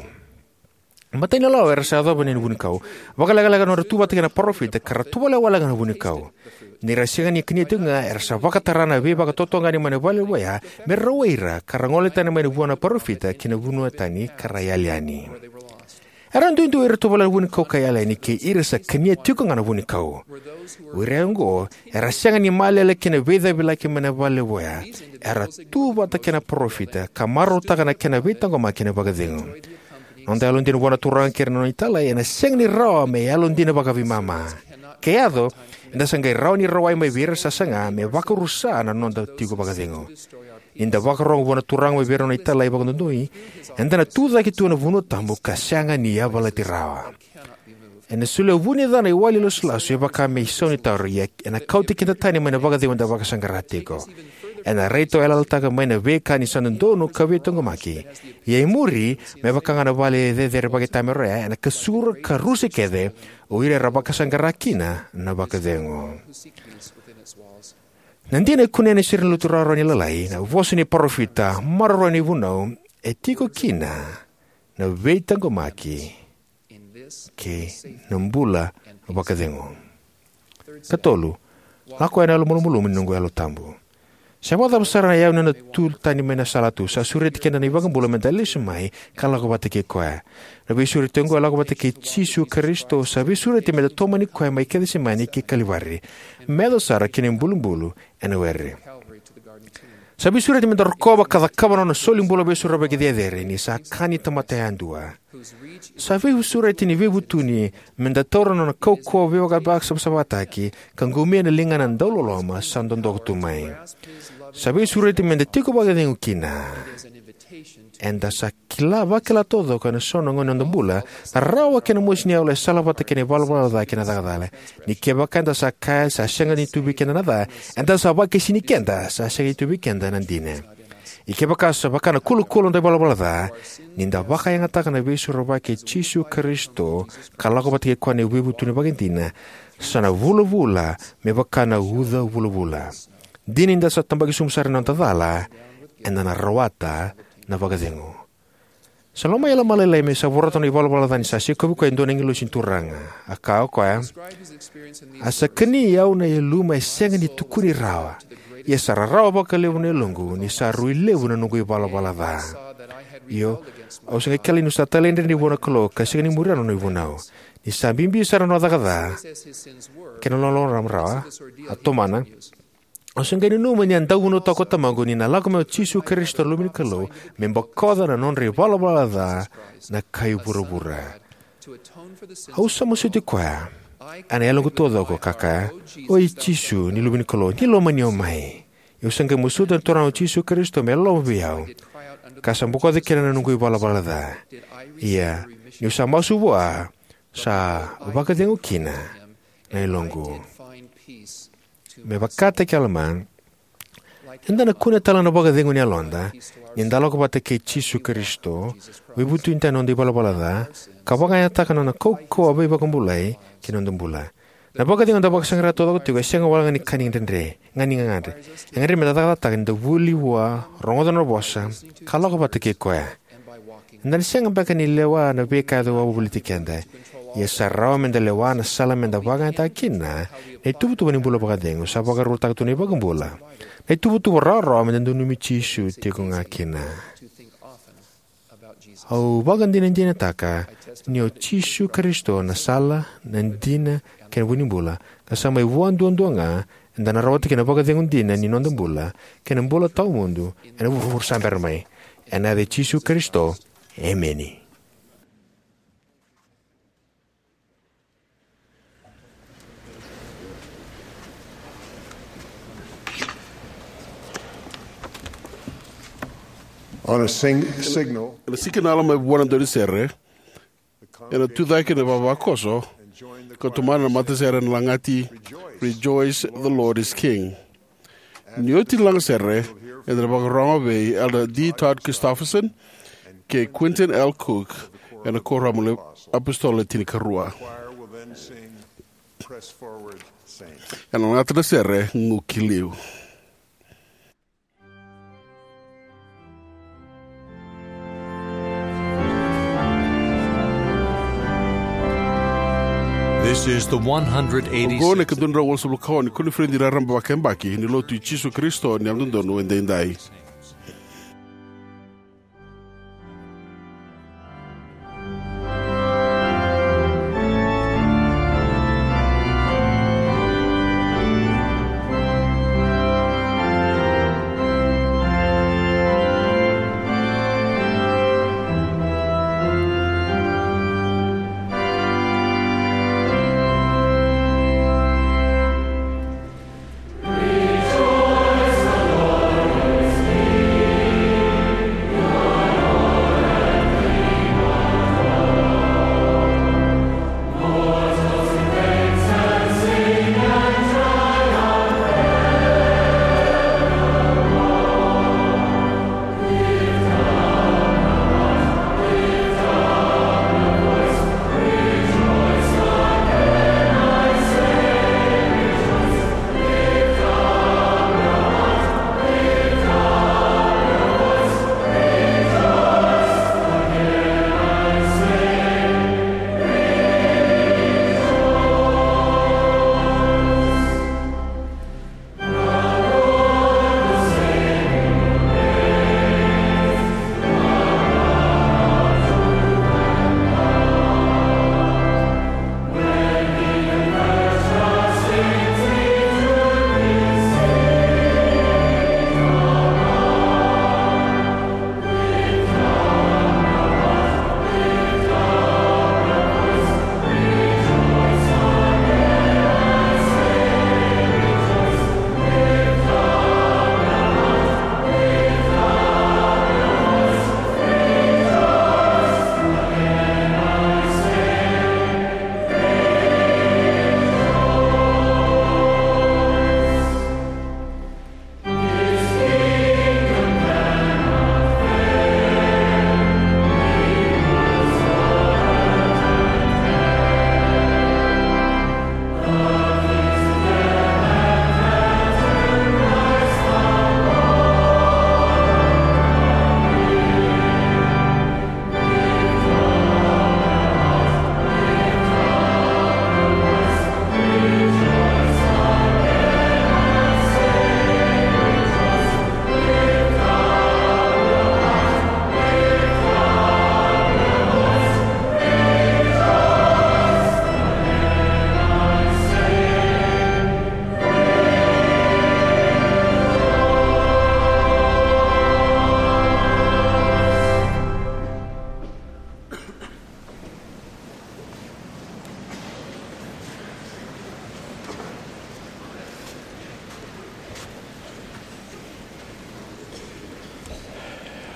Matai ni lawa era sa yacova na vunikau. Vakalekaleka na nodra tu vata kei na parofita ka ra tovolea walega na vunikau. Ni ra sega ni kania tiko ga, era sa vakatara na veivakatotogani mai na vale levu oya me rawai ira ka ra gole tani mai na vua na parofita ki na vanua tani ka ra yali yani. Era duidui ira tovolea na vunikau ka yali yani kei ira sa kania tiko ga na vunikau. O ira oqo era sega ni malele ki na veicavilaki mai na vale levu oya. Era tu vata kei na parofita ka marautaka na kena veitaqomaki ena vakacegu. Noda yalodina vua na Turaga kei ira na nona italai ena sega ni rawa me yalodina vakaveimama. Ke yaco, eda sa qai rawa ni rawai mai vei ira sa saga me vakarusa na noda tiko vakacegu. Ni da vakarorogo vua na Turaga mai vei ira na nona italai vakadodonui, eda na tucake tu ena vanua tabu ka sega ni yavalati rawa. Ena solia vuni ca na iwali lasulasu e vaka me isau ni taura, ia ena kauti keda tani mai na vakacegu eda vakasaqara tiko. Ena raitayaloyalotaka mai na veika ni sa dodonu ka veitaqomaki. Ia e muri, me vaka ga na vale cecere vakaitamera oya, ena kasura ka rusa kece o ira era vakasaqara kina na vakacegu. Na dina e kunei ena serenilotu rawarawa ni Lalai, na vosa ni parofita, maroroya na ivunau, e tiko kina na veitaqomaki kei na bula vakacegu. Katolu, lako yani ena yalomalumalumu ni noqu Yalo Tabu. Se vakacava sara na iyau ni nona tu tani mai na salatu, sa sureti keda na iVakabula meda lesu mai ka lako vata kei koya. Na veisureti oqo e lako vata kei Jisu Karisito, sa veisureti meda tomani koya mai Kecisemani ki Kalivari, me yaco sara ki na ibulubulu ena were. Sa veisureti meda rokova ka cakava na nona solibula veisorovaki cecere ni sa ka ni tamata yadua. Sa veisureti ni veivutuni meda taura na nona kaukauwa veivakasavasavataki ka qumia na ligana dauloloma sa dodoka tu mai. Sa veisureti meda tiko vakacegu kina. Eda sa kila, vakila taucoko ena so na gauna ni noda bula na rarawa kei na mosi ni yalo e salavata kei na ivalavala ca kei na caka ca. Ni kevaka eda sa kaya sa sega ni tu vei keda na ca, eda sa vakaisini keda sa sega ni tu vei keda na dina. Ia kevaka sa vaka na kulakula noda ivalavala ca, ni da vakayagataka na veisorovaki i Jisu Karisito ka lako vata kei koya na veivutuni vakaidina, sa na vulavula me vaka na uca vulavula. Dina ni da sa tabaki sobu sara ena noda cala, eda na rawata na vakacegu. Sa lomai Alama Lailai me sa vorata na ivalavala ca ni sa sikovi koya e dua na agilosi ni Turaga. A kaya o koya, a sa kani au na yaluma e sega ni tukuni rawa, ia sa rarawa vakalevu na yaloqu ni sa rui levu na noqu ivalavala ca. Io, au sa qai kila niu sa talaidredre vua na Kalou ka sega ni muria na nona ivunau. Ni sa bibi sara na nona caka ca kei na loloma rawa, a tomana, au sa qai nanuma ni a dau vunautaka ko tamaqu ni na lako mai o Jisu Karisito na Luve ni Kalou me bokoca na nodra ivalavala ca na kai vuravura. Au sa masuti koya ena yaloqu taucoko ka kaya, oi Jisu ni Luve ni Kalou, ni lomani au mai. Au sa qai masuta na Turaga o Jisu Karisito me loloma vei au, ka sa bokoca kina na noqu ivalavala ca. Ia niu sa masu vua, sa vakacegu kina na yaloqu. Me vakataki Alama, eda na kunea tale na vakacegu ni yaloda ni da lako vata kei Jisu Karisito, veivutuni tani noda ivalavala ca, ka vakayagataka na nona kaukauwa veivakabulai ki na noda bula. Na vakacegu eda vakasaqara taucoko tiko e sega walega ni ka ni dredre ga ni gagadre. E gadrevi meda cakacakataka ni da vuli vua, rogoca na nona vosa, ka lako vata kei koya. Eda na sega beka ni lewa na veika e yaco wavoliti keda, ia sa rawa meda lewa na sala meda vakayagataka kina na ituvatuva ni bula vakacegu sa vakarotaka tu na iVakabula. Na ituvatuva rawarawa meda nanumi Jisu tiko ga kina. Au vakadinadinataka ni o Jisu Karisito na sala, na dina, kei na vu ni bula, ka sa mai vua duadua ga eda na rawata kina na vakacegu dina ni noda bula kei na bula tawamudu ena vuravura sa bera mai. Ena yaca i Jisu Karisito, emeni. On a sing- signal. Ena sikina Alama e vua na daunisere, ena tucake na ivavakoso, ka tomana na matasere ena lagati, Rejoice, the Lord is King. Ni oti na lagasere, eda na vakarorogo vei Elder D Todd Christofferson kei Quentin L Cook ena Kuoramu ni iApositolo Le Tinikarua. Ena lagata na sere Gu Ki Liu. This is the one hundred eighty-six. Oqo na ikaduadrau walusagavulu ka ono ni koniferedi raraba vakayabaki ni Lotu i Jisu Karisito ni Yalododonu Edaidai.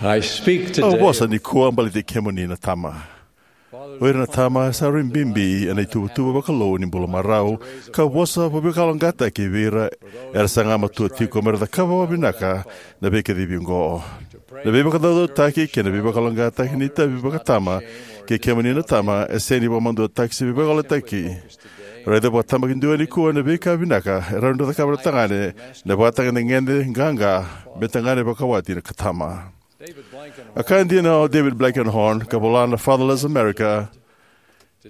I speak Au today. Vosa nikua baleti kemuni na tama. O ira na tama sa rui bibi ena ituvatuva vakalou ni bula marau, ka vosa vakalougatataki vei ira era saga matua tiko mera cakava vakavinaka na veikacivi oqo. Na veivakacaucautaki kei na veivakaloqaqataki ni itavi vakatama kei kemuni na tama e sega ni vakamaduataki se veivakayalotaki. Raica vakatabakidua nikua na veika vinaka e rawa ni cakava na tagane, na vakatagedegede qaqa me tagane vakawati ka tama. A kaya dina o David Blankenhorn, ka vola na Fatherless America,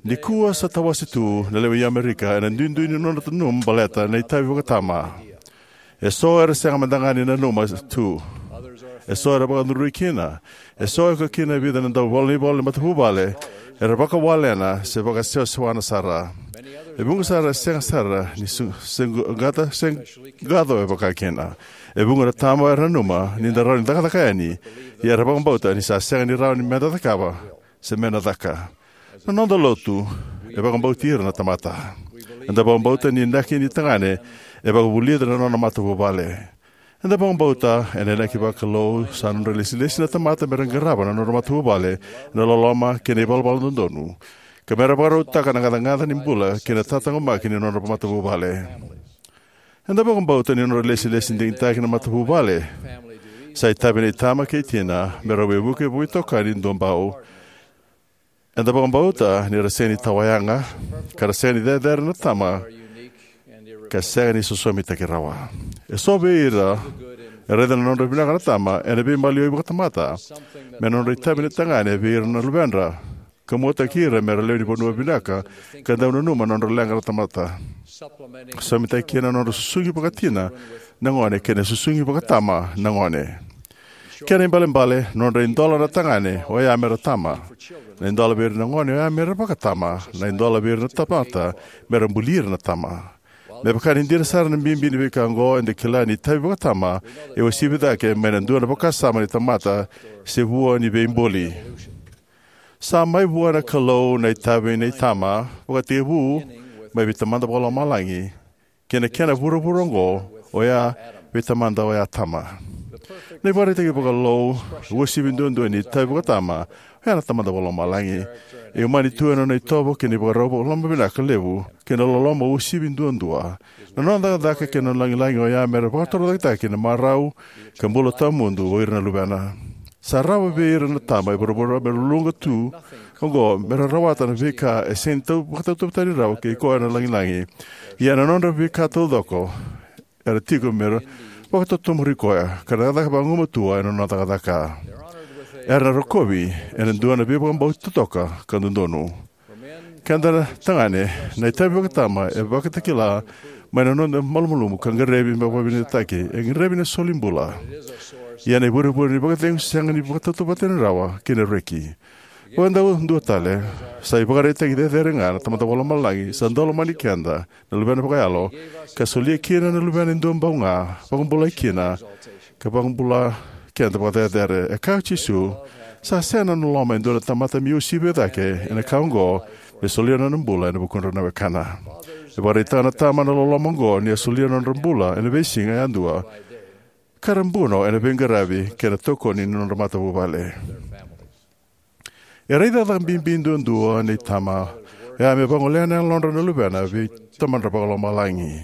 nikua sa tawase tu na lewe i Amerika ena duidui ni nona nanuma baleta na itavi vakatama. Eso era sega mada ga ni nanuma tu. Eso era vakacudrui kina. Eso e oka kina e vica na dauvolavolai ni matavuvale era vakawalena se vakasewasewana sara. E vuqa sara e sega sara ni su- se qata se qaco e vaka kina. E vuqa na tama era nanuma ni da rawa ni cakacaka yani, ia era vakabauta ni sa sega ni rawa ni meda cakava se meda caka. Na noda lotu e vakabauti ira na tamata. Eda vakabauta ni inaki ni tagane e vakavulica na nona matavuvale. Eda vakabauta ena inaki vakalou sa nodra ilesilesi na tamata mera qarava na nodra matavuvale ena loloma kei na ivalavala dodonu, ka mera vakarautaka na gacagaca ni bula kei na tataqomaki ni nodra matavuvale. Eda vakabauta ni nodra ilesilesi digitaki na matavuvale sa itavi nei tama kei tina mera veivuke vakaitokani duabau. Eda vakabauta ni ra sega ni tawayaga, ka ra sega ni cecere na tama, ka sega ni sosomitaki rawa. Eso vei ira e raica na nodra vinaka na tama ena veimaliwai vakatamata me nodra itavi na tagane vei ira na luvedra, ka muataki ira mera lewe ni vanua vinaka ka dau nanuma na nodra leqa na tamata. Sosomitaki kina na nodra susugi vakatina na gone kei na susugi vakatama na gone. Kena ibalebale, na nodra idola na tagane oya mera tama. Na idola vei ira na gone oya mera vakatama. Na idola vei ira na tamata mera buli ira na tama. Me vaka ni dina sara na bibi ni veika oqo, eda kila ni itavi vakatama e uasivi cake mai na dua na vakasama ni tamata se vua ni veibuli. Sa mai vua na Kalou na itavi nei tama, vakatekivu mai vei Tamada Vakalomalagi, kei na kena vuravura oqo, oya vei Tamada oya Tama. Na ivakaraitaki vakalou uasivi duadua ni itavi vakatama oya na Tamada Vakalomalagi. E umani tu ena nona itovo kei na ivakarau vakaloma vinaka levu kei na loloma uasivi duadua. Na nona cakacaka kei na nona lagilagi oya mera vakatorocaketaki na marau ka bula tawamudu o ira na luvena. Sa rawa vei ira na tama e vuravura mera luluqa tu oqo mera rawata na veika e sega ni tau vakatautauvatani rawa kei koya na lagilagi. Ia na nodra veika taucoko era tiko mera vakatotomuri koya ka na cakacaka vagumatua ena nona cakacaka. Era na rokovi ena dua na veivakabauti totoka ka dodonu. Keda na tagane, na itavi vakatama e vakatakila mai na noda malumalumu ka qaravi me vakavinavinakataki. E qaravi na soli bula. Ia na ivurevure ni vakacegu sega ni vakatautauvatani rawa kei na reki. Vakadua tale, sa ivakaraitaki cecere ga na Tamada Vakalomalagi sa dau lomani keda na luvena vakayalo, ka solia kina na luvena e duabau ga, vakabulai kina, ka vakabula keda vakacecere. E kaya o Jisu, sa sega na loloma e dua na tamata me uasivi cake ena ka oqo, me solia na nona bula ena vukudra na wekana. E vakaraitaka na tama na loloma oqo ni a solia na nodra bula ena veisiga yadua, ka ra buno ena veiqaravi kei na tokoni ni nodra matavuvale. E raica caka bibi duadua nei tama oya me vagolea na yalodra na luvena vei Tamadra Vakalomalagi.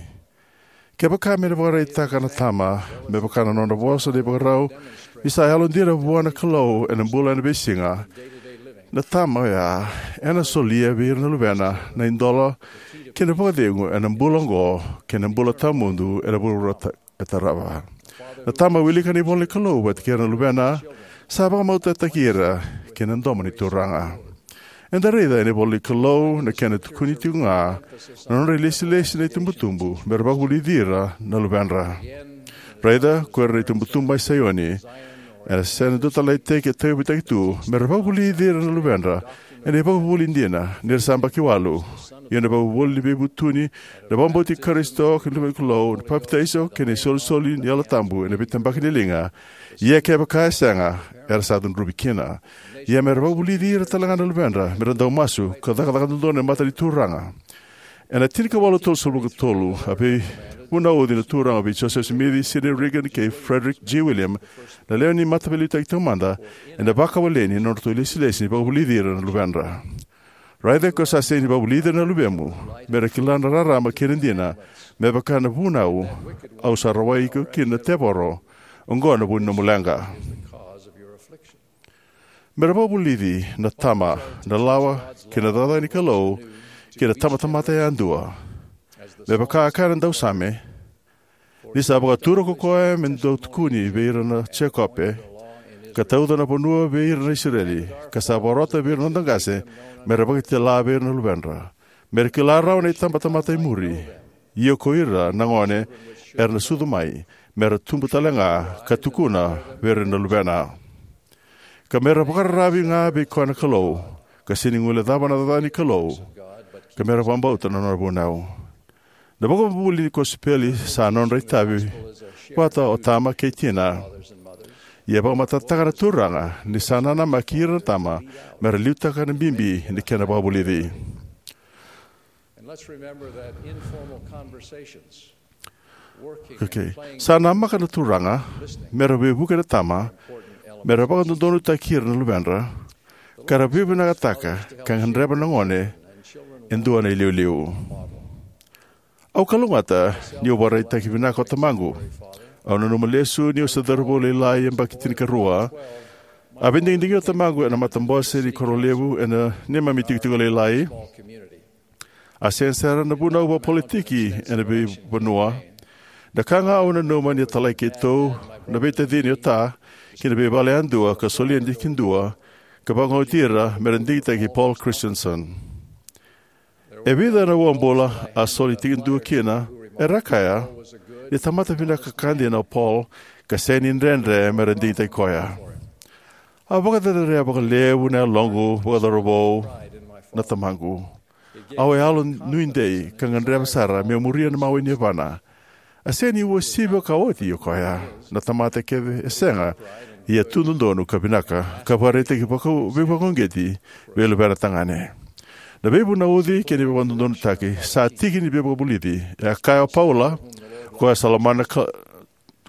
Kevaka me na vakaraitaka na tama me vaka na nodra vosa na ivakarau ni sa yalodina vua na Kalou ena bula ena veisiga, na tama oya ena solia vei ira na luvena na idola kei na vakacegu ena bula oqo kei na bula tawamudu ena vuravura e tarava. Na tama wilika na ivola ni Kalou vata kei ira na luvena sa vakamautaki ira ki na domo ni Turaga. Eda raica ena ivola ni Kalou na kena tukuni tiko ga na nodra ilesilesi na itubutubu mera vakavulici ira na luvedra. Raica ko ira na itubutubu mai Saioni, ena sena dua tale na iteki e tauyavutaki tu mera vakavulici ira na luvedra ena ivakavuvuli dina ni ra sa yabaki walu. Ia na ivakavuvuli ni veivutuni, na vakabauti Karisito kei na Luve ni Kalou, na papitaiso kei na isolisoli ni Yalo Tabu ena veitabaki ni liga. Ia kevaka e sega, era sa cudruvi kina. Ia mera vakavulici ira talega na luvedra mera dau masu ka cakacaka dodonu e mata ni Turaga. Ena tinikawalu tolusagavulu ka tolu a vei Vunauci na Turaga vei Joseph Smith, Sidney Rigdon, kei Frederick G. Williams, na lewe ni Mataveiliutaki Taumada, ena vakawaleni na nodratou ilesilesi ni vakavulici ira na luvedra. Raica ko sa sega ni vakavulici ira na luvemu, me ra kila na rarama kei na dina, me vaka na vunau au sa rawai iko kina na tevoro, oqo na vu ni nomu leqa. Me ra vakavulici na tama, na lawa, kei na cakacaka ni Kalou, kei na tabatamata yadua. Me vaka a kaya na dausame, ni sa vakatura ko koya me dau tukuni vei ira na Jekope, ka tauca na vanua vei ira na Isireli, ka sa vakarota vei ira na noda qase, me ra vakitala vei ira na luvedra. Me ra kila rawa na itabatamata e muri, ia ko ira na gone era na sucu mai, me ra tubu tale ga, ka tukuna vei ira na luvena. Ka me ra vakararavi ga vei koya na Kalou, ka sega ni guilecava na cakacaka ni Kalou, ka me ra vakabauta na nona vunau. Na vakavuvuli ni kosipeli sa nodra itavi vata o tama kei tina. Ia e vakamatatataka na Turaga ni sa nanamaki ira na tama me ra liutaka na bibi ni kena vakavulici. And let's remember that informal conversations, working, okay, playing, sa namaka na Turaga me ra veivuke na tama, important element, me ra vakadodonutaki ira na luvedra, ka ra veivinakataka ka gadreva na gone e dua na iliuliu. Au kalougata niu vakaraitaki vinaka o tamaqu. Au nanuma lesu niu se cauravou lailai yabaki tinikarua. A veidigidigi o tamaqu ena matabose ni koro levu ena neimami itikotiko lailai. A sega sara na vunau vakapolitiki ena veivanua. Na ka ga au nanuma ni a talai keitou na veitacini o Ta ki na veivale yadua ka solia tikidua ka vakaoti ira me ra digitaki Paul Christensen. E vica na uabula a soli tikidua kina, era kaya ni tamata vinaka ka dina o Paul, ka sega ni dredre me ra digitaki koya. A vakacerecerei vakalevu na yaloqu vakacauravou na tamaqu. Au a yalo nuidei ka gadreva sara meu muria na mawe ni yavana. A sega ni uasivi ka oti o koya. Na tamata kece e sega, ia tu dodonu ka vinaka, ka vakaraitaki vaka-, veivakauqeti vei luvena tagane. Na veivunauci kei na veivakadodonutaki sa tiki ni veivakavulici. E a kaya o Paula, o koya sa lomana ka,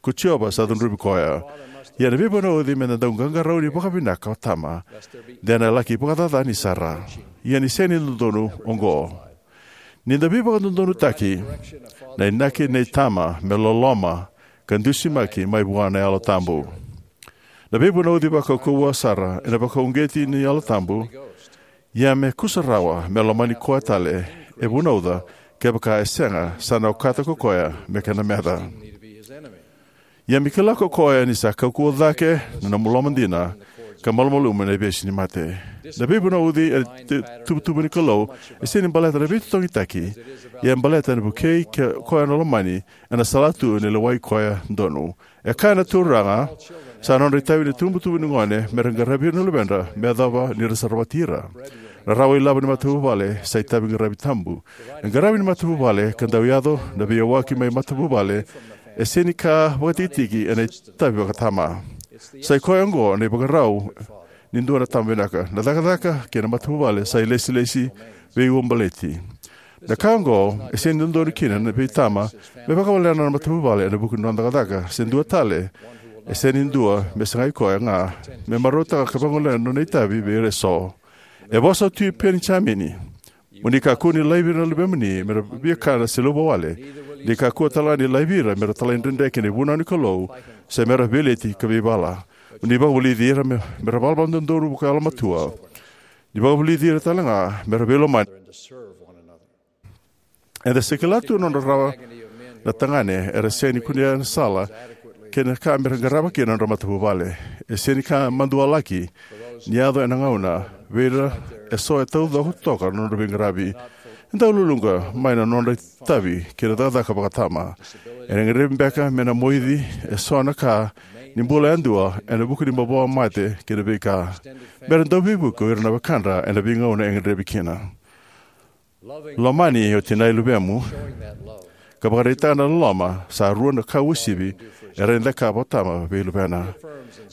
ko Jiova sa cudruvi koya. Ia na veivunauci me na dau qaqarauni vakavinaka o tama, de na laki vakacacani sara. Ia ni sega ni dodonu oqo. Ni da veivakadodonutaki, na inaki nei tama me loloma ka dusimaki mai vua na Yalo Tabu. Na veivunauci vakaukauwa sara ena vakauqeti ni Yalo Tabu, ia me kusarawa me lomani koya tale e vunauca, kevaka e sega sa na okata ko koya me kena meca. Ia me kila ko koya ni sa kaukauwa cake na nomu loma dina, ka malumalumu ena ivesu ni mate. Na veivunauci e tu-, tuvatuva ni Kalou, e sega ni baleta na veitotogitaki, ia e baleta na vukei ke koya na lomani, ena sala tu ni lewai koya donu. E kaya na Turaga, sa nodra itavi na itubutubu ni gone me ra qaravi ira na luvedra me yacova ni ra sa rawati ira. Na rawa ilavo ni matavuvale sa itavi qaravi tabu. Na qaravi ni matavuvale ka dau yaco na veiyawaki mai matavuvale, e sega ni ka vakatikitiki ena itavi vakatama. Sa i koya oqo na ivakarau ni dua na tama vinaka. Na cakacaka kei na matavuvale sa ilesilesi veiuabaleti. Na ka oqo e sega ni dodonu kina na veitama me vakawalena na matavuvale ena vuku ni nona cakacaka, se dua tale, e sega ni dua me sagai koya ga me marautaka ka vagolea na nona itavi vei ira eso. E vosa o Tui Penijamini: Mo ni kakua ni laivi ira na luvemuni me ra viakana se luvawale, ni kakua tale ga ni laivi ira me ra talaidredre ki na ivunau ni Kalou, se me ra veileti ka veivala. Mo ni vakavulici ira me, me ra valavala dodonu vakayalomatua. Ni vakavulici ira tale ga me ra veilomani. Eda se kila tu na nodra rawa na tagane era sega ni kunea na sala kei na ka me ra qarava kina na nodra matavuvale. E sega ni ka madua laki ni yaco ena gauna vei ira eso e taucoko toka na nodra veiqaravi. E dau luluqa mai na nodra itavi kei na cakacaka vakatama. Ena gadrevi beka me na moici eso na ka ni bula yadua ena vuku ni mavoa, mate kei na veika. Me ra dau veivuke o ira na wekadra ena veigauna e gadrevi kina. Lomani o tinai luvemu ka vakaraitaka na loloma sa rua na ka uasivi e rawa ni cakava o tama vei luvena.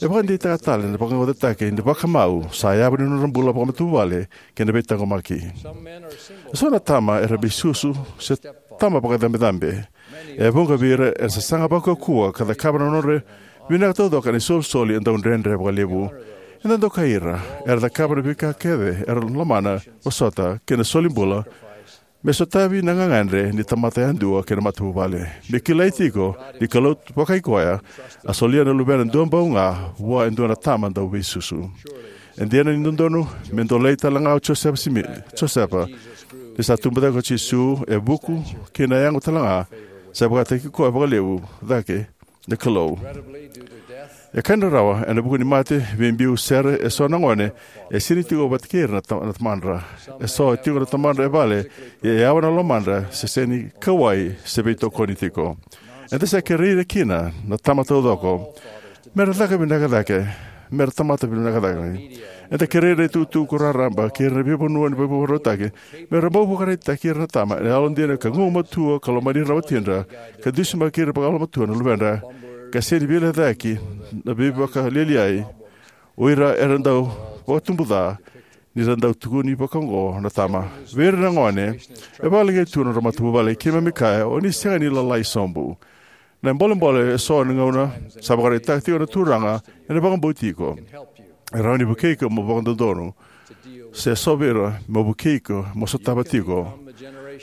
E vakadeitaka tale na vaqaqacotaki ni vakamau sa yavu ni nodra bula vakamatavuvale kei na veitaqomaki. Eso na tama era veisusu se tama vakacabecabe. E vuqa vei ira era sasaga vakaukauwa ka cakava na nodra vinaka taucoko ena isolisoli e dau dredre vakalevu. Eda dokai ira era cakava na veika kece era lomana, vosota, kei na soli bula me sotavi na gagadre ni tamata yadua kei na matavuvale. Me kilai tiko ni Kalou Vakaikoya a solia na Luvena duabau ga vua e dua na tama dauveisusu. E dina ni dodonu me dolei tale ga o Josefa Simi-, Josefa, ni sa tubu cake ko Jisu e vuku kei na yago tale ga, sa vakataki koya vakalevu cake na Kalou. E ka ni rarawa, ena vuku ni mate, veibiu, sere, eso na gone e sega ni tiko vata kei ira na ta-, na tamadra. Eso e tiko na tamadra e vale, ia e yawa na lomadra, se sega ni kauwai, se veitokoni tiko. Eda sa kerei ira kina na tama taucoko me ra caka vinaka cake, me ra tamata vinaka cake. Eda kerei ira na itukutuku raraba kei ira na veivanua ni veivakarautaki me ra bau vakaraitaki ira na tama ena yalodina ka gugumatua ka lomani ira na watidra, ka dusimaki ira vakayalomatua na luvedra, ka sega ni veilecayaki na veivakalialiai o ira era dau vakatubu ca ni ra dau tukuni vakaoqo na tama. Vei ira na gone e vakaleqai tu na nodra matavuvale, keimami kaya, o ni sega ni lalai sobu. Na bolebole eso na gauna sa vakaraitaka tiko na Turaga ena vakabauti iko. E rawa ni vukei iko mo vakadodonu, se so vei ira mo vukei iko mo sotava tiko.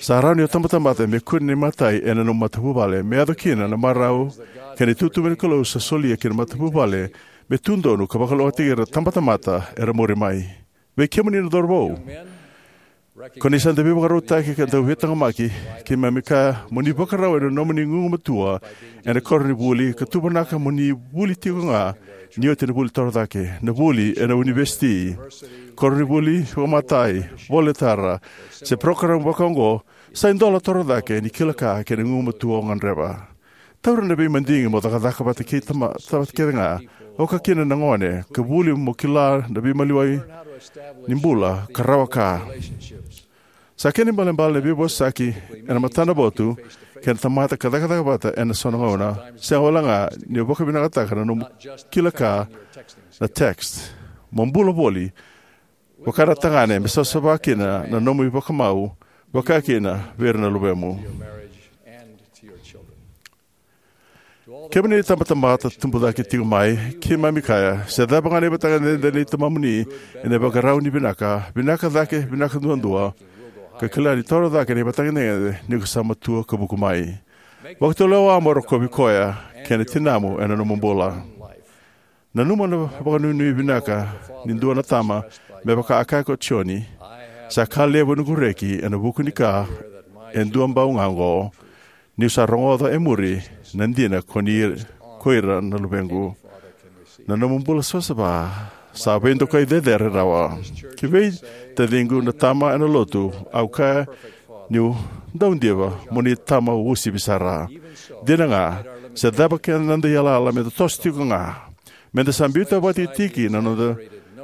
Sa rawa ni o tabatamata me kune na imatai ena nomu matavuvale, me yaco kina na marau kei na itutu ni Kalou sa solia ki na matavuvale, me tu donu ka vakalougatataki ira na tabatamata era muri mai. Vei kemuni na cauravou, ko ni sa dau veivakarautaki ka dau veitaqomaki, keimami kaya mo ni vakarau ena nomuni gugumatua ena koronivuli, ka tuvanaka mo ni vuli tiko ga ni oti na vuli torocake. Na vuli ena univesiti, koronivuli vakamatai, voli tara, se parokaramu vakaoqo, sa idola torocake ni kila ka kei na gugumatua o gadreva. Taura na veimadigi mo cakacaka vata kei tama, vata kece ga, oka kina na gone, ka vuli mo kila na veimaliwai ni bula ka rawa ka. Sa kena ibalebale na veivosaki ena matanavotu kei na tamata ka cakacaka vata ena so na gauna, sega wale ga ni o vakavinakataka na nomu kila ka na text. Mo bula voli vaka na tagane, me savasava kina na nomu ivakamau, vaka kina vei ira na luvemu. Kemuni na itabatamata tubu cake tiko mai, keimami kaya, se cava ga na ivakatagedegede nei tamamuni ena ivakarau ni vinaka, vinaka cake, vinaka duadua, ka kila ni torocake na ivakatagedegede ni ko sa matua ka vuku mai. Vakatulewa mo rokovi koya kei na tinamu ena nomu bula. Nanuma na vakanuinui vinaka ni dua na tama, me vaka a kaya ko Joni, sa ka levu na noqu reki ena vuku ni ka e duabau ga oqo, niu sa rogoca e muri na dina ko ni, ko ira na luvequ. Na nomu bula savasava sa veidokai cecere rawa. Ki vei taciqu na tama ena lotu, au kaya niu dau diva mo ni tama uasivi sara. Dina ga, se cava kece na noda iyalayala, meda toso tiko ga. Meda sa biuta vakatikitiki na noda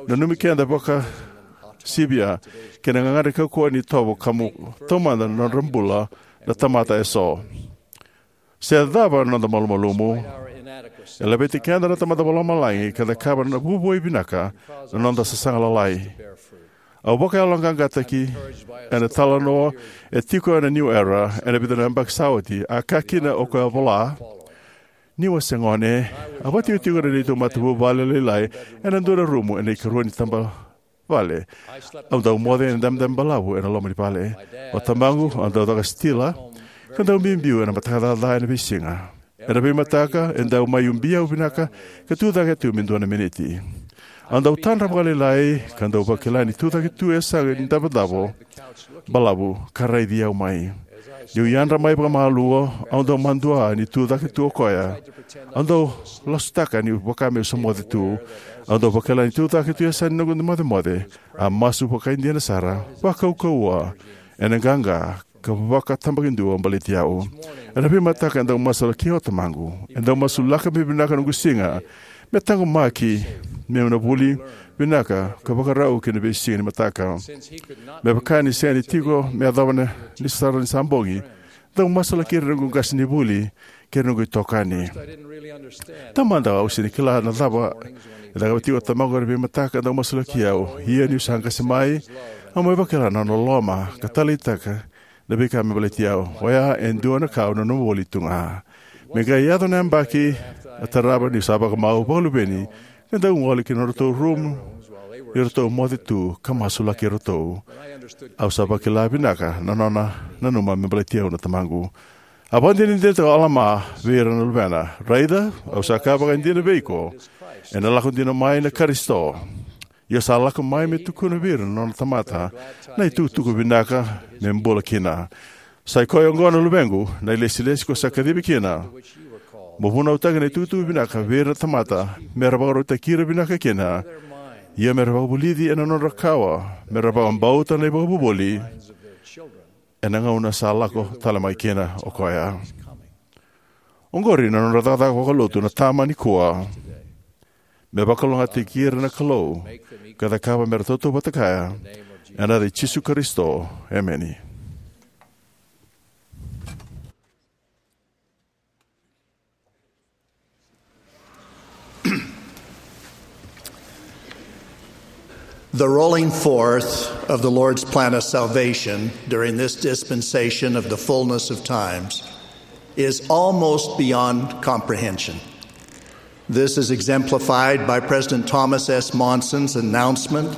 nanumi keda vakasivia kei na gagadre kaukauwa ni itovo ka mo taumada na nodra bula na tamata eso. Se cava na noda malumalumu, e laveti keda na Tamada Vakalomalagi ka cakava na vuavuai vinaka na noda sasaga lalai. Au vakayaloqaqataki ena italanoa e tiko ena New Era ena vica na yabaki sa oti, a kaya kina o koya vola: Niu a se gone, a vakatikotiko na neitou matavuvale lailai ena dua na rumu ena ikarua ni taba vale. Au dau moce ena dabedabe balavu ena loma ni vale. O tamaqu a dau caka sitila ka dau biubiu ena mataka caca ena veisiga. Ena veimataka e dau mai ubi au vinaka ka tucake tu me dua na miniti. Au dau tadra vakalailai ka dau vakila ni tucake tu e yasaga ni davodavo balavu ka raici au mai. Niu yadra mai vakamalua, au dau madua ni tucake tu o koya. Au dau lasutaka ni vaka meu sa moce tu. Au dau vakila ni tucake tu e yasaga ni noqu mocemoce. A masu vakaidina sara, vakaukauwa, ena qaqa ka vakatabakidua baleti au. Ena veimataka e dau masulaki au o tamaqu. E dau masulaka me vinaka noqu siga, me taqomaki meu na vuli vinaka ka vakarau ki na veisiga ni mataka. Me vaka ni sega ni tiko me yacova ni sara ni sa bogi, dau masulaki ira na noqu qasenivuli kei ira na noqu itokani. Taumada au sega ni kila na cava e cakava tiko o tamaqu ena veimataka dau masulaki au. Ia niu sa qase mai, au mai vakila na nona loloma ka taleitaka Na veika me baleti au oya e dua na ka au nanuma voli tu ga. Me qai yaco na yabaki, a tarava niu sa vakamau vakaluveni, ka dau gole ki na nodratou rumu ni ratou moce tu ka masulaki iratou. Au sa vakila vinaka na nona nanuma me baleti au na tamaqu. A vakadinadinataka o Alama vei ira na luvena, "Raica, au sa kaya vakaidina vei iko, ena lako dina mai na Karisito. Ia sa lako mai me tukuna vei ira na nona tamata na itukutuku vinaka me bula kina. Sa i koya oqo, na luvequ, na ilesilesi ko sa kacivi kina. Mo vunautaka na itukutuku vinaka vei ira na tamata, me ra vakarautaki ira vinaka kina, ia me ra vakavulici ena nodra kawa, me ra vakabauta na ivakavuvuli ena gauna sa lako tale mai kina o koya." Oqori na nodra cakacaka vakalotu na tama nikua, me vakalougatataki ira na Kalou ka cakava me ra tautauvata kaya. Ena yaca i Jisu Karisito, emeni. The rolling forth of the Lord's plan of salvation during this dispensation of the fullness of times is almost beyond comprehension. This is exemplified by President Thomas S. Monson's announcement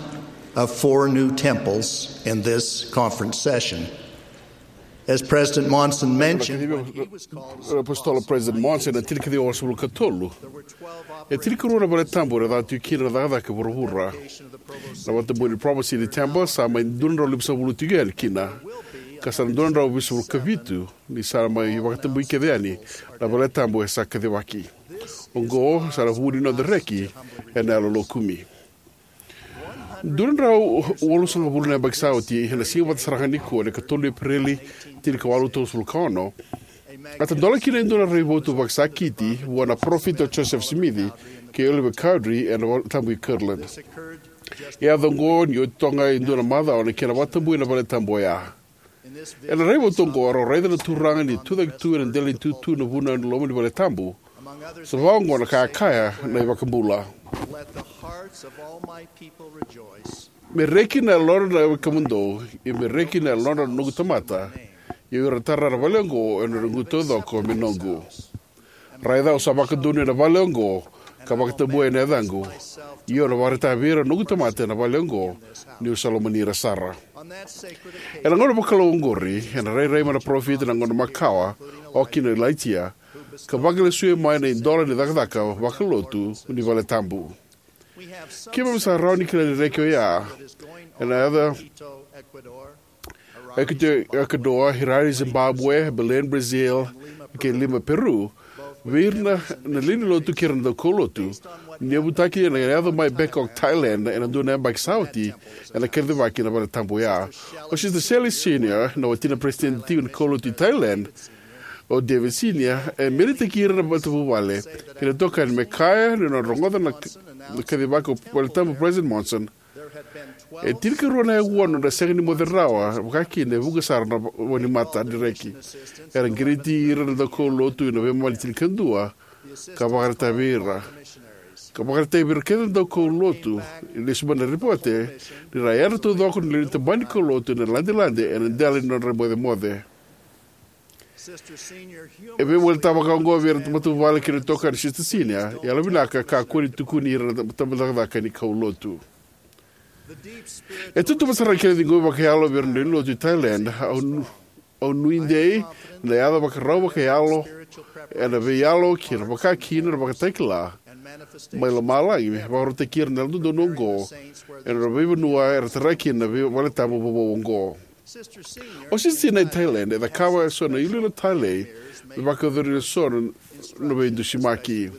of four new temples in this conference session. As President Monson mentioned, when he was called Apostle President Monson, na tinikaciwa walusagavulu ka tolu, e tinikarua na vale tabu era caka tiko kina na cakacaka e vuravura. Na vakatabui ni Provo City Temple sa mai dua na drau limasagavulu tiko yani kina, ka sa na dua na drau vitusagavulu ka vitu ni sa mai vakatabui kece yani na vale tabu e sa kacivaki. Oqo sa na vu ni noda reki ena yalo lokumi. Dua na drau walusagavulu na yabaki sa oti, ena siga vata sara ga nikua, na ikatolu ni Epereli, tinikawalu tolusagavulu ka ono, a tadola kina e dua na raivotu vakasakiti vua na parofita o Joseph Smith kei Oliver Cowdery ena vale tabu i Kirtland. E yaco oqo ni oti toka ga e dua na macawa na kena vakatabui na vale tabu oya. Ena raivotu oqo, erau raica na Turaga ni tucake tu ena dela ni tutu na vunau ena loma ni vale tabu. Sa vaka oqo na ka e kaya na iVakabula: "Me reki na yalodra na wekadromudou, ia me reki na yalodra na noqu tamata, ia o ira tara na vale oqo ena noqu taucoko me noqu. Raica, au sa vakadonui na vale oqo, ka vakatabua ena yacaqu, ia au na vakaraitaka vei ira na noqu tamata ena vale oqo, niu sa lomani ira sara." Ena gauna vakalou oqori, ena rairai mai na parofita ena gauna makawa, oka kina o Ilaija, ka vakalesuya mai na idola ni cakacaka vakalotu ni vale tabu. Keimami sa rawa ni kila ni reki oya ena yaco Quito, Ecuador, Harare, Zimbabwe, Belém, Brazil, kei Lima, Peru, vei ira na lewe ni lotu kei ira na daukaulotu, ni yavutaki ena yaco mai Bangkok, Thailand, ena dua na yabaki sa oti, ena kacivaki na vale tabu oya. O Sister Shelley Senior, na watina peresitedi tiko ni kaulotu i Thailand, o David Senior, e melitaki ira na matavuvale kei na itokani me kaya ni nodra rogoca na, na kacivaki o vale tabu President Monson, e tinikarua na aua nodra sega ni moce rawa vakakina e vuqa sara na wa-, wainimata ni reki. Era qiriti ira na daukaulotu ena veimama ni tinikadua, ka vakaraitaka vei ira, ka vakaraitaka vei ira kece na daukaulotu, e lesu mai na ripote, ni ra yadra taucoko na lewe ni tabana ni kaulotu ena ladelade ena dela ni nodra mocemoce. E veiwalitaka vaka oqo vei ira na matavuvale kei na itokani, Sister Senior, e yalovinaka, kakua ni tukuni ira na tabacakacaka ni kaulotu. E tutuva sara na kena ciqomi vakayalo vei ira na lewe ni lotu i Thailand. Au nu-, au nuidei na yaco vakarau vakayalo ena veiyalo kei na vakakina na ivakatakila mai lomalagi me vakarautaki ira na Yalododonu oqo ena nodra veivanua era tara kina na vei-, vale tabu vovou oqo. O Sister Senior e Thailand, e cakava eso na iloilo talei me vakayacori eso na veidusimaki,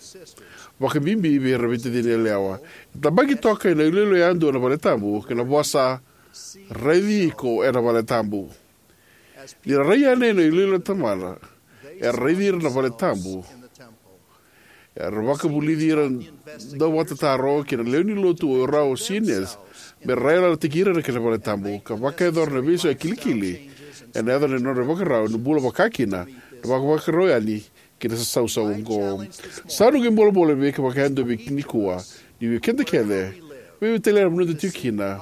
vakabibi vei ira na veitacini yalewa. E tabaki toka ena iloilo yadua na vale tabu kei na vosa, "Raici iko ena vale tabu." Ni ra rai yani ena iloilo na tamata, era raici ira na vale tabu. Era vakavulici ira na dauvakatataro kei na lewe ni lotu o rau o Seniors me ra yalataki ira na kena vale tabu, ka vakayacora na veisau e kilikili ena yaco na nodra ivakarau ni bula vakakina, na vakavakarau yani ki na sasausau oqo. Sa noqu ibulabula vei keda vakayadua nikua, ni vei keda kece, vei vei tale na vanua eda tiko kina,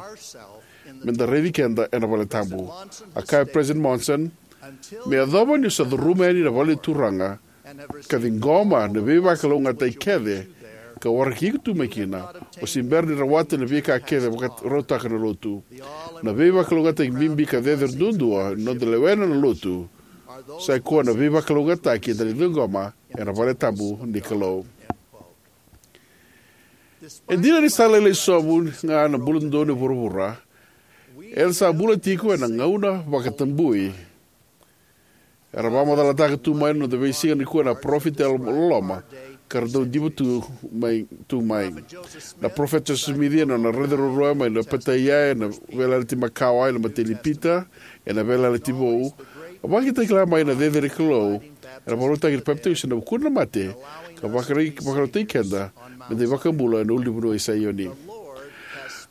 meda raici keda ena vale tabu. A kaya President Monson, Me yacova ni o sa curuma yani na vale ni Turaga ka ciqoma na veivakalougatataki kece ka waraki iko tu mai kina, o se bera ni rawata na veika kece vakarautaka na Lotu. Na veivakalougatataki bibi ka cecere duadua ni noda lewena na Lotu sa ikoya na veivakalougatataki eda na ciqoma ena vale tabu ni Kalou. E dina ni sa lailai sobu ga na bula dodonu e vuravura, eda sa bula tiko ena gauna vakatabui. Era vakamacalataka tu mai na noda veisiga nikua na parofita yalololoma ka ra dau diva tu mai, tu mai. Na parofita Josefa Simici ena nona raica ruarua mai na Petaia, ena veiyalayalati makawa, ena imatai ni Pita, ena Veiyalayalati Vou, a vakatakila mai na cecere ni Kalou ena vakarautaki ni papitaiso ena vukudra na mate, ka vakarai-, vakarautaki keda meda iVakabula ena ulunivanua i Saioni.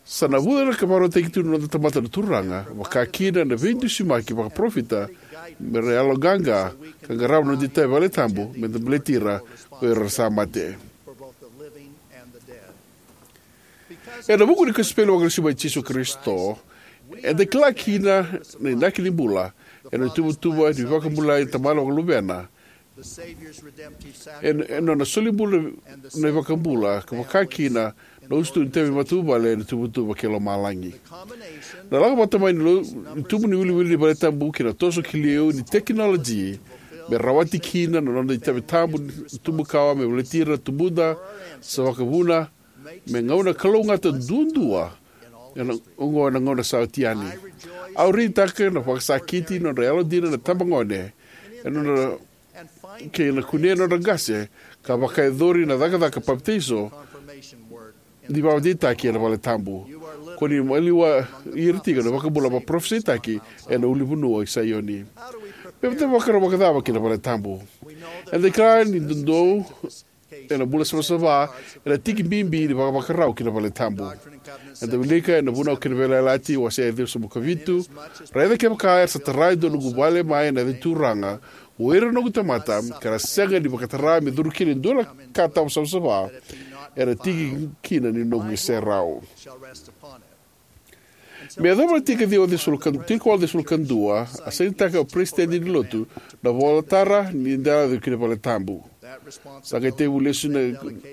Sa navuca ka vakarautaki tu na noda tamata na Turaga, vaka kina na veidusimaki vakaparofita, me ra yaloqaqa ka qarava na noda itavi vale tabu meda baleti ira ko ira era sa mate. Ena vuku ni kosipeli vakalesui mai Jisu Karisito, eda kila kina na inaki ni bula ena ituvatuva ni veivakabulai ni Tamana vaka Luvena, ena, ena nona solibula na iVakabula, ka vaka kina na usutu ni itavi matavuvale ena ituvatuva kei lomalagi. Na lako vata mai ni lo-, ni tubu ni iwiliwili ni vale tabu kei na toso ki liu ni tekinoloji me rawati kina na noda itavi tabu ni tubu kawa me baleti ira na tubuda sa vakavuna, me gauna kalougata duadua, ena oqo na gauna sa oti yani. Au raica na vakasakiti ni nodra yalodina na itabagone, ena nodra, kei na kunea na nodra qase, ka vakayacori na cakacaka papitaiso ni vakadeitaki ena vale tabu. Ko ni maliwai ira tiko na iVakabula vakaparafisaitaki ena ulunivanua i Saioni. Me vaka, vakarau vakacava ki na vale tabu? Eda kila ni dodonu ena bula savasava, ena tiki bibi ni vakavakarau ki na vale tabu. Eda wilika ena Vunau kei na Veiyalayalati, wase e ciwasagavulu ka vitu: Raica kevaka era sa tara e dua noqu vale mai na yaca ni Turaga, o ira na noqu tamata, ka ra sega ni vakatara me curu kina e dua na ka tawa savasava, era tiki kina ni noqu iserau. Me yacova na tiki ciwa ciwasagavulu ka, tiko walu ciwasagavulu ka dua, a sainitaka o Peresitedi ni Lotu na ivolatara ni da yaco ki na vale tabu. Sa qai tekivu lesu na,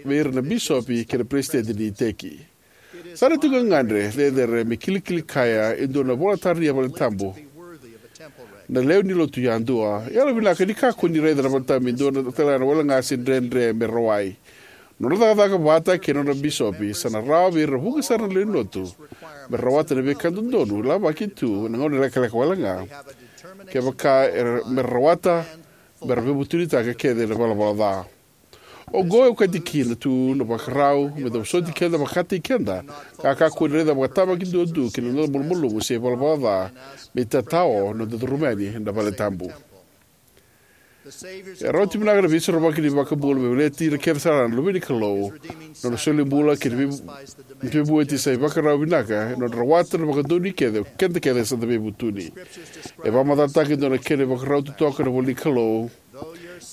vei ira na bisopi kei na peresitedi ni iteki. Sa na tiko gagadre cecere me kilikili kaya e dua na ivolatara ni vale tabu na lewe ni Lotu yadua. Yalovinaka ni kakua ni raica na vale tabu me dua na tale na wele ga se dredre me rawai. Nodra cakacaka vata kei na nodra bisopi sa na rawa vei ira vuqa sara na lewe ni Lotu me rawata na veika dodonu, lavaki tu na gauna lekaleka wale ga, kevaka era, me ra rawata me ra veivutunitaka kece na ivalavala ca. Oqo e okati kina tu na ivakarau me da vosoti keda vakataki keda, ka kakua ni raica vakatabakidua tu ki na noda malumalumu se ivalavala ca me itatao na noda curuma yani na vale tabu. E rawati vinaka na Veisorovaki ni iVakabula me baleti ira kece sara na luve ni Kalou. Na nona solibula kei na vei-, veivueti sa ivakarau vinaka, na nodra rawata na vakadonui kece o keda kece sa da veivutuni. E vakamacalataka e dua na kena ivakarau totoka na ivola ni Kalou: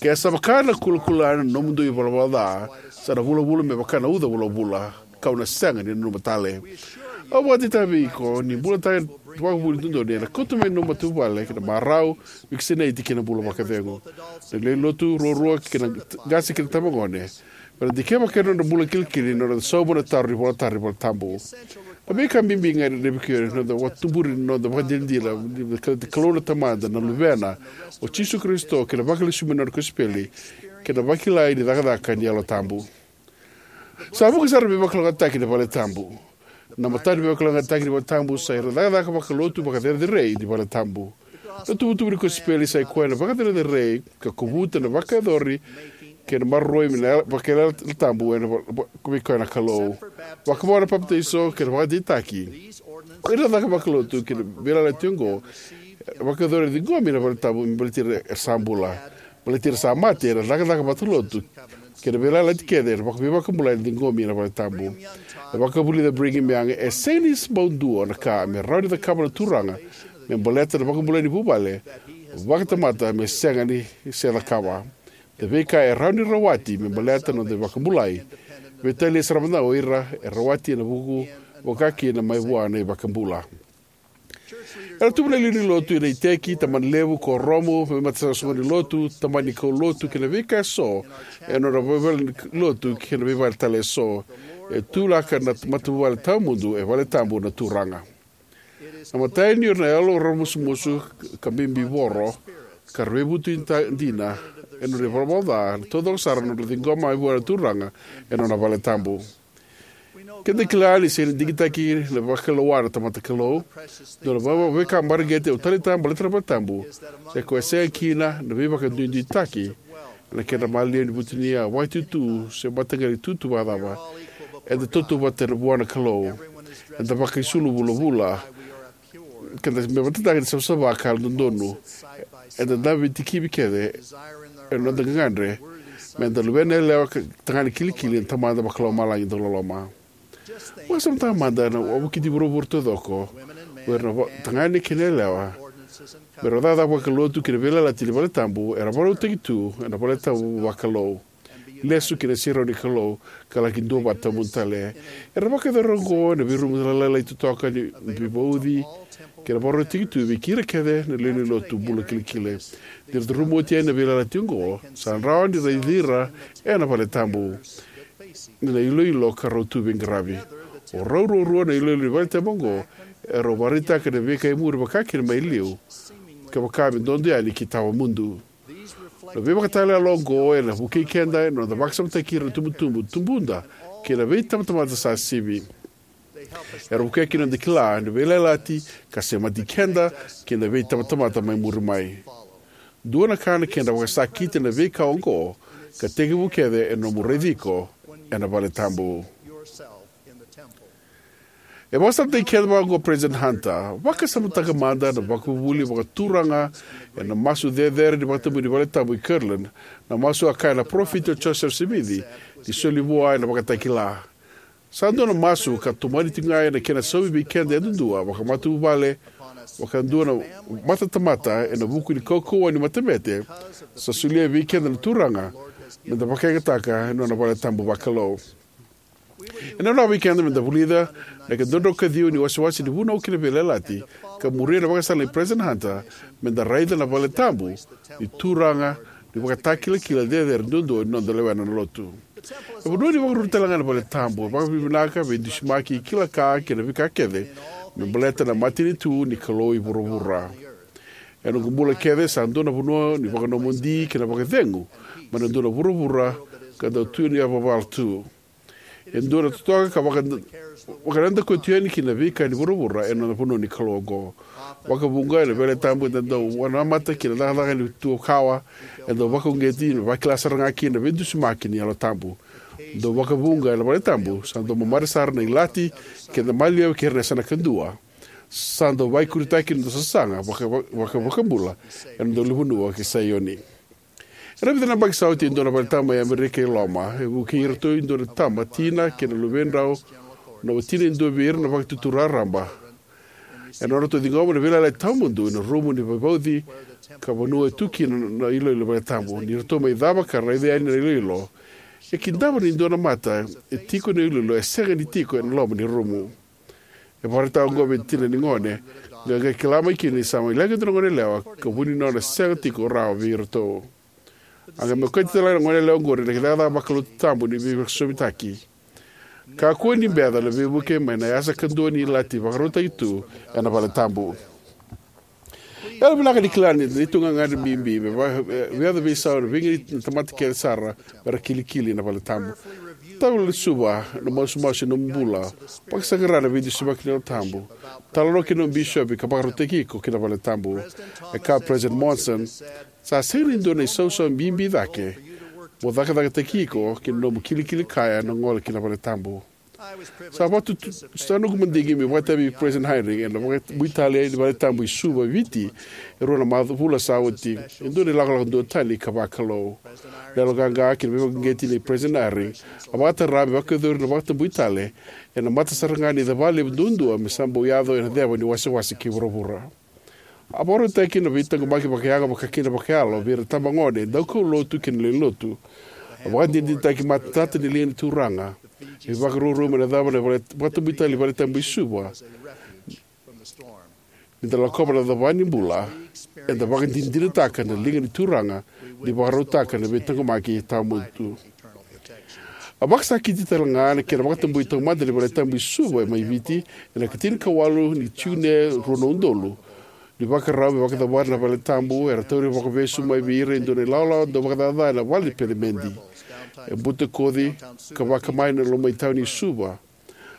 Ke sa vaka na kulakula na nomudou ivalavala ca, sa na vulavula me vaka na uca vulavula, kau na sega ni nanuma tale. Au vakadeitaka vei iko ni bulataka na vakavuvuli dodonu ena kauta mai na nomu matavuvale na marau, vakasinaiti kei na bula vakacegu. Na lewe ni Lotu ruarua kei na qase kei na itabagone, me ra dikeva kina na nodra bula kilikili na nodra sauma na taro ni ivolatara ni vale tabu. Na veika bibi ga e gadrevi kina na noda vakatuburi na noda vakadinadina ni Kalou na Tamada, na Luvena o Jisu Karisito, kei na vakalesui mai na nona kosipeli, kei na vakilai ni cakacaka ni Yalo Tabu. Sa vuqa sara na veivakalougatataki ni vale tabu. Na matana ni veivakalougatataki ni vale tabu sa ira na cakacaka vakalotu vakacerecerei ni vale tabu. Na tuvatuva ni kosipeli sa ikoya na vakacerecerei ka kovuta na vakayacori kei na maroroi mai na vakaiyalayala tabu ena va-, va-, vei koya na Kalou. Vakavo na papitaiso kei na vakadeitaki, o ira na cakacaka vakalotu kei na veiyalayalati oqo, vakayacori, ciqomi na vale tabu me baleti ira era sa bula. Baleti ira sa mate, na cakacaka vakalotu kei na veiyalayalati kece era vaka-, veivakabulai na ciqomi na vale tabu. E vakavulica Brigham Young, e sega ni bau dua na ka me rawa ni cakava na Turaga me baleta na vakabulai ni vuvale vakatamata me sega ni se cakava. Na veika e rawa ni rawati me baleta na noda vakabulai, veitalia sara mada o ira e rawati ena vuku, vaka kina mai vua na iVakabula. Era tubu na lewe ni lotu ena iteki, tabanalevu, kuoramu, veimataqali soqoni ni lotu, tabana ni kaulotu, kei na veika eso ena nodra veivalenilotu kei na veivale tale eso. E tu laka na matavuvale tawamudu e valetabu na Turaga. Na imatai ni ira na yalo raramusumusu ka bibivoro, ka ra veivutunitaki dina ena nodra ivalavala ca, na taucoko sara na nodra ciqoma mai vua na Turaga ena nona valetabu. Keda kila ni sega ni digitaki na vakailoa na tamata Kalou. Dua na va- veika mareqeti au taleitaka baleta na valetabu, se ko e sega kina na veivakaduiduitaki ena kedra maliwa ni vutuniyau, vakaitutu, se mataqali itutu vakacava. Eda tautauvata vua na Kalou. Eda vakaisulu vulavula. Keda me vakatataka ni savasava ka yalododonu. Eda dabe tikivi kece ena noda gagadre. Meda luvena yalewa ka tagane kilikili na Tamada Vakalomalagi dauloloma. Vakasamataka mada na wavokiti vuravura taucoko, o ira na va- tagane kei na yalewa, me ra cakacaka vakalotu kei na veiyalayalati ni valetabu era vakarautaki tu ena valetabu vakalou, lesu ki na iserau ni Kalou, ka laki duavata tawamudu tale. Era vakayacora oqo ena veirumu lalai totoka ni veivauci, ka ra vakarautaki tu vei ira kece na lewe ni lotu bula kilikili. Ni ra curuma oti yani na veiyalayalati oqo, sa rawa ni raici ira ena valetabu ni na iloilo ka rau tu veiqaravi. O rau ruarua na iloilo ni valetabu oqo, e rau vakaraitaka na veika e muri vakakina mai liu, ka vaka me dodo yani ki tawamudu. Na veivakatalanoa oqo ena vukei keda ena noda vakasamataki ira na itubutubu, tubuda, kei na veitabatamata sa sivi. Era vukea kina noda kila na veiyalayalati ka semati keda kei na veitabatamata mai muri mai. Dua na ka na kedra vakasakiti na veika oqo, ka tekivu kece ena nomu raici iko ena valetabu. E vakasalataki keda vakaoqo o President Hunter: Vakasamataka mada na vakavuvuli vakaturaga ena masu cecere ni vakatabui ni valetabu e Kirtland, na masu a kaya na Parofita o Josefa Simici ni soli vua ena ivakatakila. Sa dua na masu ka tomani tiko ga ena kena saumi vei keda yadudua vakamatavuvale, vaka dua na matatamata ena vuku ni kaukauwa ni matabete, sa solia vei keda na Turaga meda vakayagataka ena nona valetabu vakalou. E nanuma vei keda meda vulica na ika dua na drau ka ciwa ni wasewase ni vunau kei na veiyalayalati, ka muria na ivakasala nei President Hunter, meda raica na valetabu ni Turaga ni ivakatakilakila cecere duadua ni noda lewena na Lotu. E vanua ni vakaruru talega na valetabu. E vakavinavinaka, veidusimaki, kila ka, kei na veika kece me baleta na matanitu ni Kalou e vuravura. Ena noqu bula kece, sa dua na vanua ni vakanomodi kei na vakacegu mai na dua na vuravura ka dau tu ni yavavala tu. E dua na totoka ka vaka- vakanadakuya tu yani kina na veika ni vuravura ena vanua ni Kalou oqo. Vakavuqa ena valetabu eda dau vakanamata kina na cakacaka ni tuakawa, e dau vakauqeti me vakila sara ga kina na veidusimaki ni Yalo Tabu. Dau vakavuqa ena valetabu sa dau mamare sara na ilati kei na maliwa kei ira na yasana kadua. Sa dau vaikuritaki na noda sasaga vaka- vaka- vakabula ena noda ulunivanua kei Saioni. Ena vica na yabaki sa oti, e dua na valetabu mai Amerika e Loma e vukei iratou e dua na tama, tina, kei na luvedrau, na watina e dua vei ira na Vakaitutu Raraba, ena nodratou ciqoma na veiyalayalati tawamudu ena rumu ni veivauci, ka vanua e tu kina na iloilo ni valetabu. Ni ratou mai cava ka raica yani na iloilo, e kidava ni dua na mata e tiko na iloilo e sega ni tiko ena loma ni rumu. E vakaraitaka oqo vei tina ni gone, ka qai kila mai kina ni sa mai leqa e dua na goneyalewa ka vu ni nona sega tiko rawa vei iratou. A qai mai okati talega na goneyalewa oqori na cakacaka vakalotu tabu ni veivakasosovitaki. Kakua ni beca na veivuke mai na yasa kadua ni ilati vakarautaki tu ena valetabu. Yalovinaka ni kila ni tu ga na gagadre bibi me va- me yaco veisau ena veiganiti na tamata kece sara me ra kilikili ena valetabu. Tavalesuva na masumasu ena nomu bula. Vakasaqara na veidusimaki ni Yalo Tabu. Talanoa kei na nomu bisopi ka vakarautaki iko ki na valetabu. E kaya o President Monson: Sa sega ni dua na isausau bibi cake mo cakacakataki iko ki na nomu kilikili kaya na gole ki na valetabu. Sa vatu- sa noqu madigi meu vakaitavi vei President Eyring ena vakatabui tale ni valetabu i Suva, Viti, e rua na macawa vula sa oti, e dua na ilakolako duatani ka vakalou. Na yaloqaqa kei na veivakauqeti nei President Eyring a vakatara me vakayacori na vakatabui tale ena mata sara ga ni cava levu duadua me sa bau yaco ena ceva ni wasewase kei vuravura. A vakarautaki na veitaqomaki vakayago, vakakina vakayalo, vei ira na itabagone, daukaulotu kei na lewe ni lotu. A vakadinadinataki matata na liga ni Turaga. E vakaruarua mai na cava na vale- vakatabui tale ni valetabu i Suva. Ni da lakova na cava ni bula, eda vakadinadinataka na liga ni Turaga ni vakarautaka na veitaqomaki tawamudu. A vakasakiti tale ga na kena vakatabui taumada ni valetabu i Suva mai Viti ena ikatinikawalu ni June rua na udolu. Ni vakarau me vakacavari na valetabu, era tauri vakavesu mai vei ira e dua na ilawalawa dau vakacaca ena vale ni pelemedi. E butakoci ka vaka mai na loma i tauni Suva.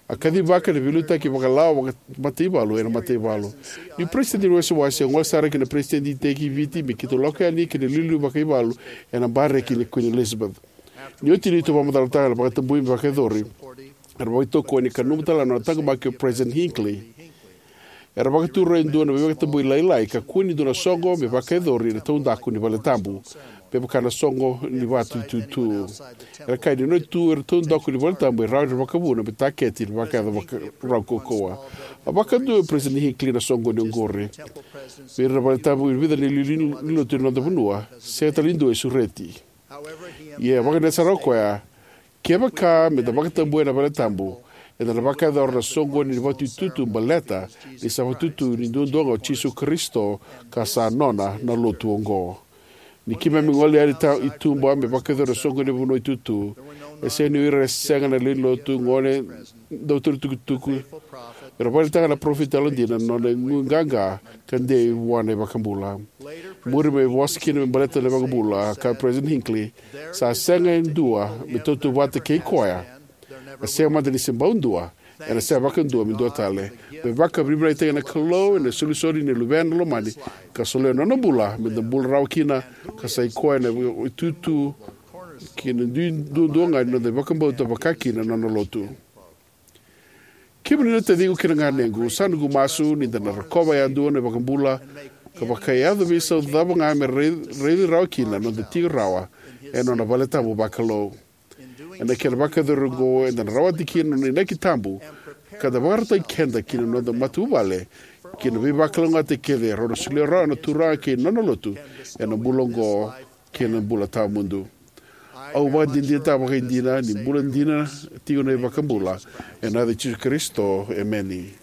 A kacivaka na veiliutaki vakalawa vakamataivalu ena mataivalu. Ni peresitedi ni wasewase, a gole sara ki na peresitedi iteki i Viti me keitou lako yani ki na iliuliu vakaivalu ena bareki ni Queen Elizabeth. Ni oti neitou vakamacalataka na vakatabui me vakayacori, era vakaitokoni ka nanuma tale na nona taqomaki o President Hinckley. Era vakatura e dua na veivakatabui lailai ka kua ni dua na soqo me vakayacori ena taudaku ni valetabu, me vaka na soqo ni vatu itutu. Era kaya ni nona tu ena taudaku ni valetabu e rawa ni ra vakavuna me taketi na vakayaco vakarau kaukauwa. A vakadua o President Hinckley na soqoni oqori. Vei ira na valetabu e vica na iliuliu ni lotu ena noda vanua, sega tale ni dua e sureti. Ia, e vakadeitaka sara o koya, kevaka me da vakatabuya na valetabu, eda na vakayacora na soqoni ni vatu itutu baleta ni sa vakatutu ni duadua ga o Jisu Karisito ka sa nona na lotu oqo. Ni keimami gole yani ta i tuba me vakayacora na soqoni ni vanua itutu, e sega ni o ira e sega na lewe ni lotu, gone, dautou ni tukutuku, era vakaraitaka na parofita yalodina na nona igu qaqa ka dei vua na iVakabula. Muri mai vosa kina me baleta na iVakabula, kaya o President Hinckley, sa sega e dua me tautauvata kei koya. E sega mada ni se bau dua, ena sega vakadua me dua tale. Me vakavinavinakataki na Kalou ena isolisoli ni Luvena lomani, ka solia na nona bula me da bula rawa kina, ka sa i koya na itutu kei na dui duadua ga ni noda vakabauta vaka kina na nona lotu. Kemuni na taciqu kei na ganequ, sa noqu masu ni da na rokova yadua na iVakabula ka vakayaco veisau cava ga me rai-, raici rawa kina na noda tiko rawa ena nona valetabu vakalou. Ena kena vakayacori oqo, eda na rawati kina na nona inaki tabu ka da vakarautaki keda kei na noda matavuvale ki na veivakalougatataki kece e rawa ni solia rawa na Turaga kei na nona lotu ena bula oqo kei na bula tawamudu. Au vakadinadinataka vakaidina ni bula dina tiko na iVakabula. Ena yaca i Jisu Karisito, emeni.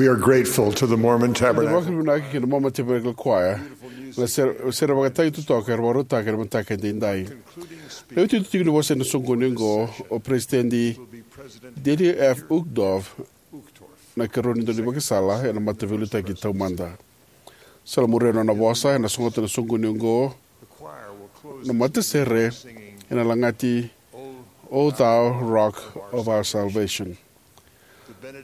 We are grateful to the Mormon Tabernacle. Vakavinavinaka ki na Mormon Tabernacle Choir na sere, sere vakatagi totoka era vakarautaka ena mataka edaidai. Na iuti ni vosa ena soqoni oqo, o Peresitedi Dieter F. Uchtdorf na ikarua ni daunivakasala ena Mataveiliutaki Taumada. Sa muria na nona vosa, ena sogota na soqoni oqo na matasere ena lagati O Thou Rock of Our Salvation.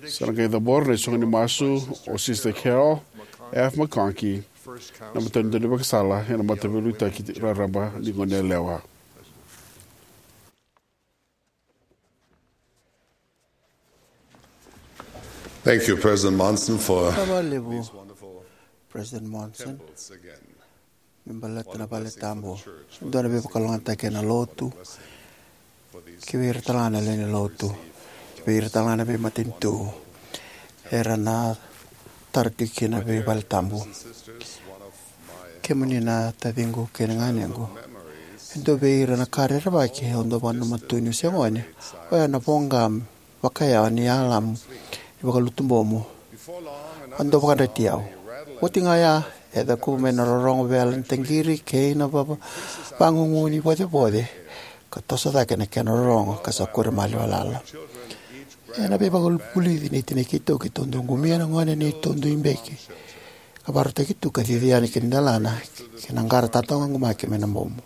Sa na qai cabora na isoqoni masu o Sister Carol F. McConkie, na matau ni daunivakasala ena Mataveiliutaki Raraba ni Goneyalewa. Thank you, President Monson, for Vinaka vakalevu, President Monson, me baleta na vale tabu. Dua na veivakalougatataki ena lotu, kei vei ira talega na lewe ni lotu, kei vei ira talega na veimatanitu era na tara tiko kina na veivale tabu. Kemuni na taciqu kei na ganequ, e dua vei ira na ka rerevaki au dau vakananuma tu niu se gone, oya na voqa vakayawa ni alamu ni vakalutu bomu. A dau vakayadrati au. Oti ga ya, e cakuvu mai na rorogo vela ni taqiri kei na vava, vagugu ni vocevoce, ka toso cake na kena rorogo ka sa kure maliwa lala. Ena veivakavulici nei tinai keitou, keitou dau qumia na gone neitou dui beki, ka vakarautaki tu ka cici yani ki na delana kei na qara tataqumaki mai na bomu.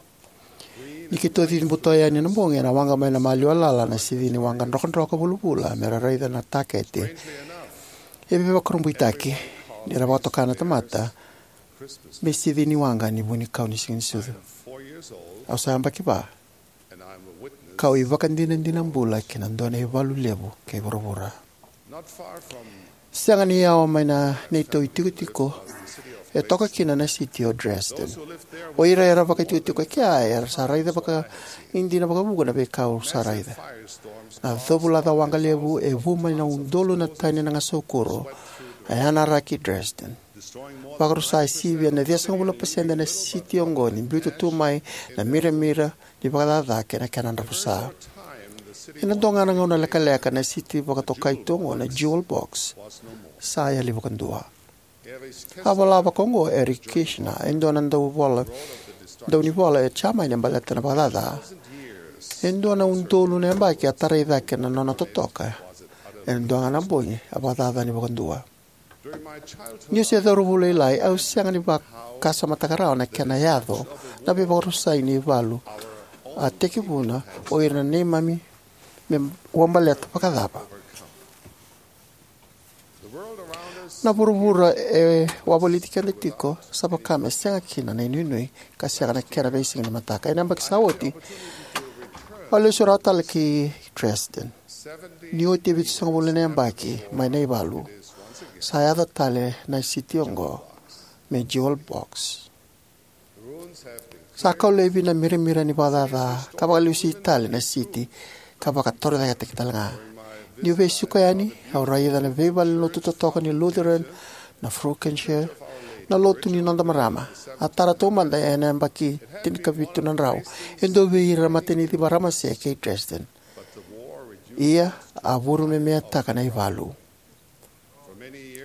Ni keitou cici buto yani ena bogi, ena waqa mai na maliwa lala na sici ni waqa drokadroka vulavula me ra raica na takete. E veivakurabuitaki ni ra vakatoka na tamata me sici ni waqa ni vunikau ni Siganisucu. Au sa yabaki va, kau ivakadinadina bula ki na dua na ivalu levu kei vuravura. Sega ni yawa mai na neitou itikotiko, e toka kina na siti o Dresden. O ira era vakaitikotiko e kea era sa raica vakaidina vakavuqa na veika au sa raica. Na covulaca waqa levu e vu mai na udolu na tani na gasaukuro e anaraki Dresden, vakarusa e sivia na ciwasagavulu na pasede na siti oqo ni biuta tu mai na miramira ni vakacaca kei na kena dravusa. Ena dua ga na gauna lekaleka na siti vakatokai tu oqo na Jewel Box sa yali vakadua. A vola vaka oqo o Eric Kirchner, e dua na dauvola, daunivola e Jamani, baleta na vakacaca. E dua na udolu na yabaki a tarai cake na nona totoka. Ena dua ga na bogi a vakacaca ni vakadua. Niu se cauravou lailai, au sega ni vakasamataka rawa na kena yaco na veivakarusai ni valu a tekivuna o ira na neimami me wabaleta vakacava. Na vuravura e wavoliti keda tiko sa vaka me sega kina na inuinui ka sega na kena veisiga ni mataka. Ena yabaki sa oti, au lesu rawa tale ki Dresden. Ni oti e vitusagavulu na yabaki mai na ivalu, sa yaco tale na siti oqo me Jewel Box. Sa kau laivi na miramira ni vakacaca ka vakalesui tale na siti ka vakatorocaketaki tale ga. Niu veisiko yani, au raica na veivalenilotu totoka ni Lutheran, na Frauenkirche, na lotu ni noda marama. A tara taumada ena yabaki tinikavitu na drau e dua vei ira na matanici marama se kei Dresden. Ia, a vuru me meataka na ivalu.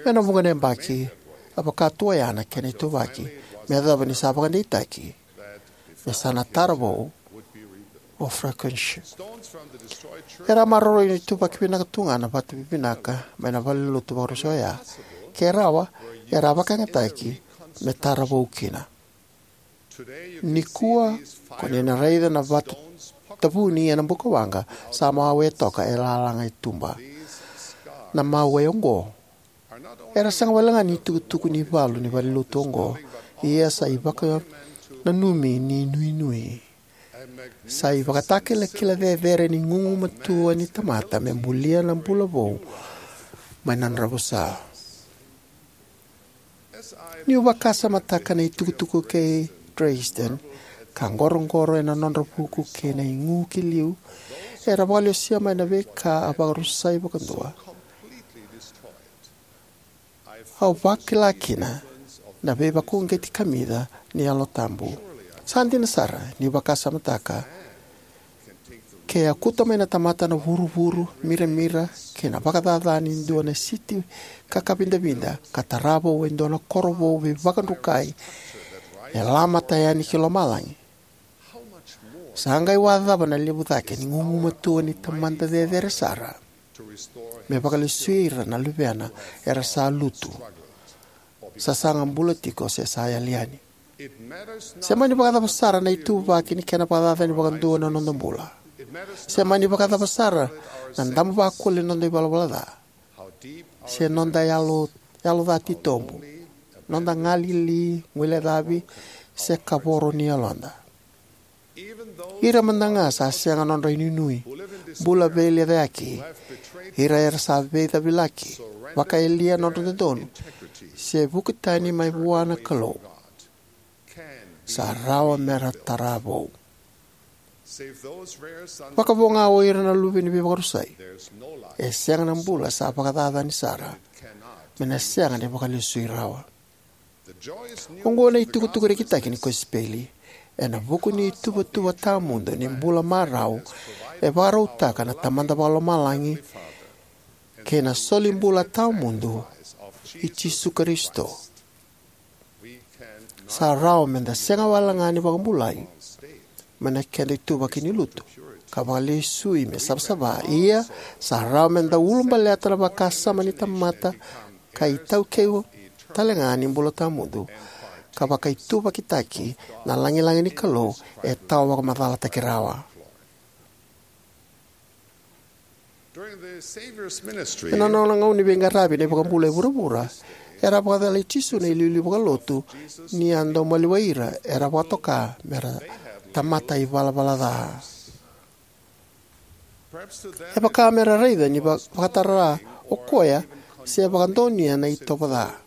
Ena vuqa na yabaki, a vaka tu oya na kena ituvaki me yacova ni sa vakadeitaki me sa na tara vou o Frauenkirche. Era a maroroi na ituvaki vinaka tu ga na vatu vivinaka mai na valenilotu vakarusa oya. Ke rawa, era a vakayagataki me tara vou kina. Nikua, ko ni na raica na vatu tavuni ena bukawaqa sa mawe toka e lalaga e tuba. Na mawe oqo era sega walega ni tukutuku ni valu ni valenilotu oqo, ia sa ivakananumi ni nuinui. Sa ivakatakilakila cecere ni gugumatua ni tamata me bulia na bula vou mai na dravusa. Niu vakasamataka na itukutuku kei Dresden ka qoroqoro ena nodra vuku kei na igu ki liu, era vakalesuya mai na veika a vakarusai vakadua. Au vakila kina na veivakauqeti kamica ni Yalo Tabu. Sa dina sara niu vakasamataka Ke yakuta mai na tamata na vuruvuru, miramira, kei na vakacaca ni dua na siti kakavidavida, ka tara vou e dua na koro vou veivakadrukai, e lamata yani ki lomalagi, sa qai vakacava na levu cake ni gugumatua ni Tamada Cecere Sara me vakalesui ira na Luvena era sa lutu, sasaga bula tiko, se sa yali yani? Se mani vakacava sara na ituvaki ni kena vakacacani vakadua na noda bula, se mani vakacava sara na damu vakule ni noda ivalavala ca, se noda yalo, yalo ca titobu, noda galili, guilecavi, se kavoro ni yaloda, ira mada ga sa sega nodra inuinui, bula veilecayaki, ira era sa veicavilaki, vakayalia nodra dodonu, se vuki tani mai vua na Kalou, sa rawa mera tara vou. Vakavo ga o ira na luve ni veivakarusai, e sega na bula sa vakacacani sara me na sega ni vakalesui rawa. Oqo na itukutuku rekitaki ni kosipeli ena vuku ni ituvatuva tawamudu ni bula marau e vakarautaka na Tamada Vakalomalagi kei na solibula tawamudu i Jisu Karisito. Sa rawa meda sega wale ga ni vakabulai mai na keda ituvaki ni lutu ka vakalesui me savasava, ia sa rawa meda ulabaleta na vakasama ni tamata ka itaukei talega ni bula tawamudu ka vakaituvakitaki na lagilagi ni Kalou e tawa vakamacalataki rawa. Ena nona gauna ni veiqaravi na iVakabula e vuravura, era a vakacalai Jisu na iliuliu vakalotu ni a dau maliwai ira era vakatoka mera tamata ivalavala ca. E vaka mera raica ni va- vakatara o koya se vakadonuya na itovo ca.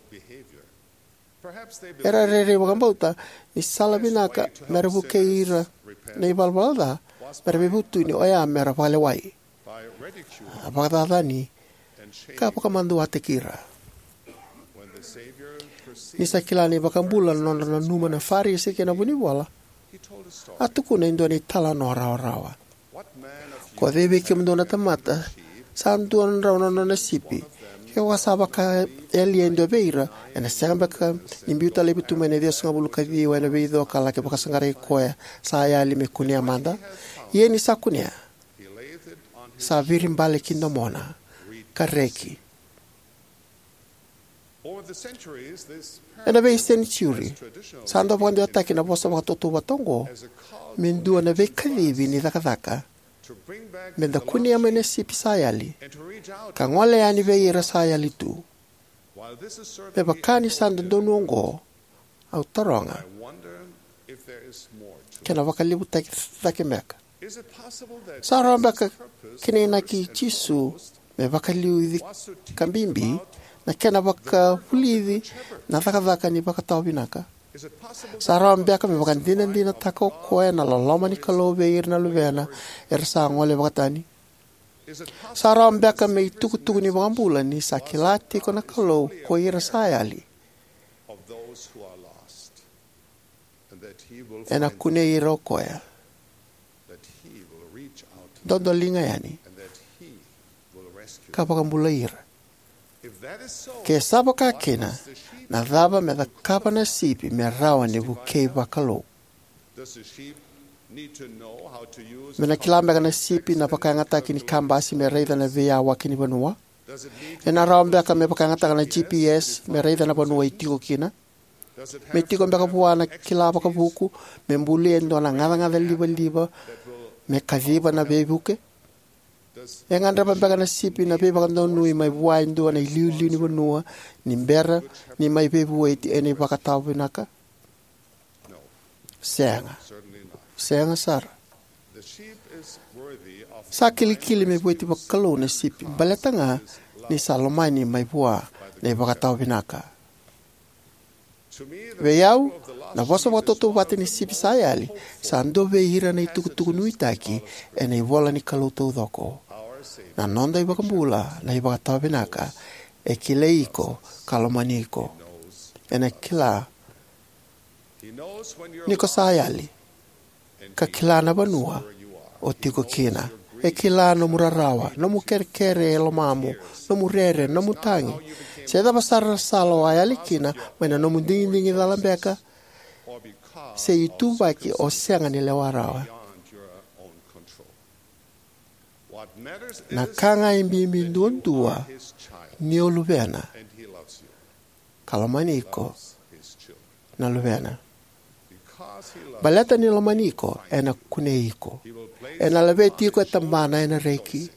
Era rairai vakabauta ni sala vinaka mera vukei ira na ivalavala ca mera veivutuni oya mera vakalewai, a vakacacani, ka vakamaduataki ira. Ni sa kila na iVakabula na nodra nanuma na Farisi kei na vunivola, a tukuna e dua na italanoa rawarawa. Ko cei vei kemudou na tamata sa dua na drau na nona sipi, ke ko sa vakayalia e dua vei ira, ena sega beka ni biuta laivi tu mai na ciwasagavulu ka ciwa ena veico ka laki vakasaqarai koya sa yali me kunea mada? Ia ni sa kunea, sa viribale ki domona ka reki. Ena veisenitiuri, sa dau vakadewataki na vosa vakatautauvata oqo me dua na veikacivi ni cakacaka meda kunea mai na sipi sa yali ka gole yani vei ira sa yali tu. Me vaka ni sa dodonu oqo, au taroga, ke na vakalevutaki cake beka? Sa rawa beka ki na inaki i Jisu me vakaliuci ka bibi na kena vakavulici na cakacaka ni vakatawa vinaka? Sa rawa beka me vakadinadinataka o koya na loloma ni Kalou vei ira na luvena era sa gole vakatani? Sa rawa beka me itukutuku ni iVakabula ni sa kila tiko na Kalou ko ira sa yali, ena kunei ira o koya, dodoliga yani, ka vakabulai ira? Ke sa vakakina, na cava me cakava na sipi me rawa ni vukei vakalou? Me na kila beka na sipi na vakayagataki ni kabasi me raica na veiyawaki ni vanua? Ena rawa beka me vakayagataka na G P S me raica na vanua e tiko kina? Me tiko beka vua na kila vakavuku me bulia e dua na gacagaca livaliva me kaciva na veivuke? E gadreva beka na sipi na veivakadonui mai vua e dua na iliuliu ni vanua ni bera ni mai veivueti ena ivakatawa vinaka? Sega. Sega sara. Sa kilikili me vueti vakalou na sipi baleta ga ni sa lomani mai vua na ivakatawa vinaka. Vei au, na vosa vakatautauvata ni sipi sa yali sa dua vei ira na itukutuku nuitaki ena ivola ni Kalou taucoko. Na noda iVakabula na ivakatawa vinaka e kilai iko ka lomani iko. Ena kila ni ko sa yali ka kila na vanua o tiko kina. E kila nomu rarawa, nomu kerekere e lomamu, nomu rere, nomu tagi, se cava sara na sala o a yali kina mai na nomu digidigi cala beka se ituvaki o sega ni lewa rawa. Na ka ga e bibi duadua ni o luvena, ka lomani iko na luvena. Baleta ni lomani iko, ena kunei iko. Ena laveti iko e tabana ena reki.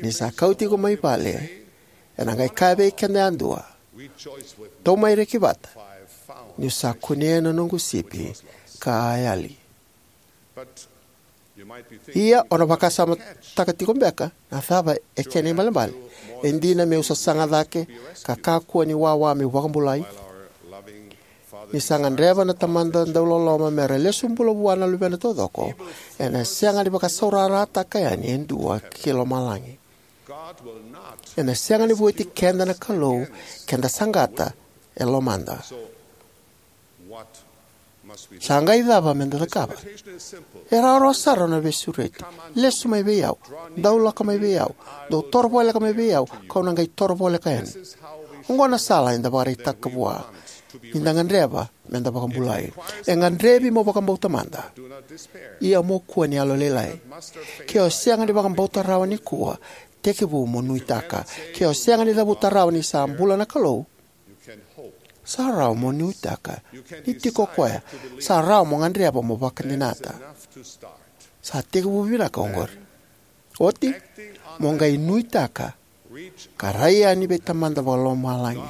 Ni sa kauti iko mai vale, ena qai kaya vei keda yadua, tou mai reki vata, niu sa kunea na noqu sipi ka a yali. Ia o na vakasamataka tiko beka, na cava e kena ibalebale? E dina meu sasaga cake ka kakua ni wawa meu vakabulai? Ni sa gadreva na Tamada dauloloma me ra lesu bula vua na luvena taucoko, ena sega ni vakasaurarataka yani e dua ki lomalagi. Ena sega ni vueti keda na Kalou ke da saqata e lomada. Sa qai cava me da cakava? E rawarawa sara na veisureti. Lesu mai vei au. Dau lako mai vei au. Dou toro voleka mai vei au, kau na qai toro voleka yani. Oqo na sala eda vakaraitaka vua ni da gadreva me da vakabulai. E gadrevi mo vakabauta mada. Ia mo kua ni yalolailai. Ke o sega ni vakabauta rawa nikua, tekivu mo nuitaka. Ke o sega ni cavuta rawa ni sa bula na Kalou, sa rawa mo nuitaka ni tiko o koya. Sa rawa mo gadreva mo vakadinata. Sa tekivu vinaka oqori. Oti, mo qai nuitaka ka rai yani vei Tamada Vakalomalagi.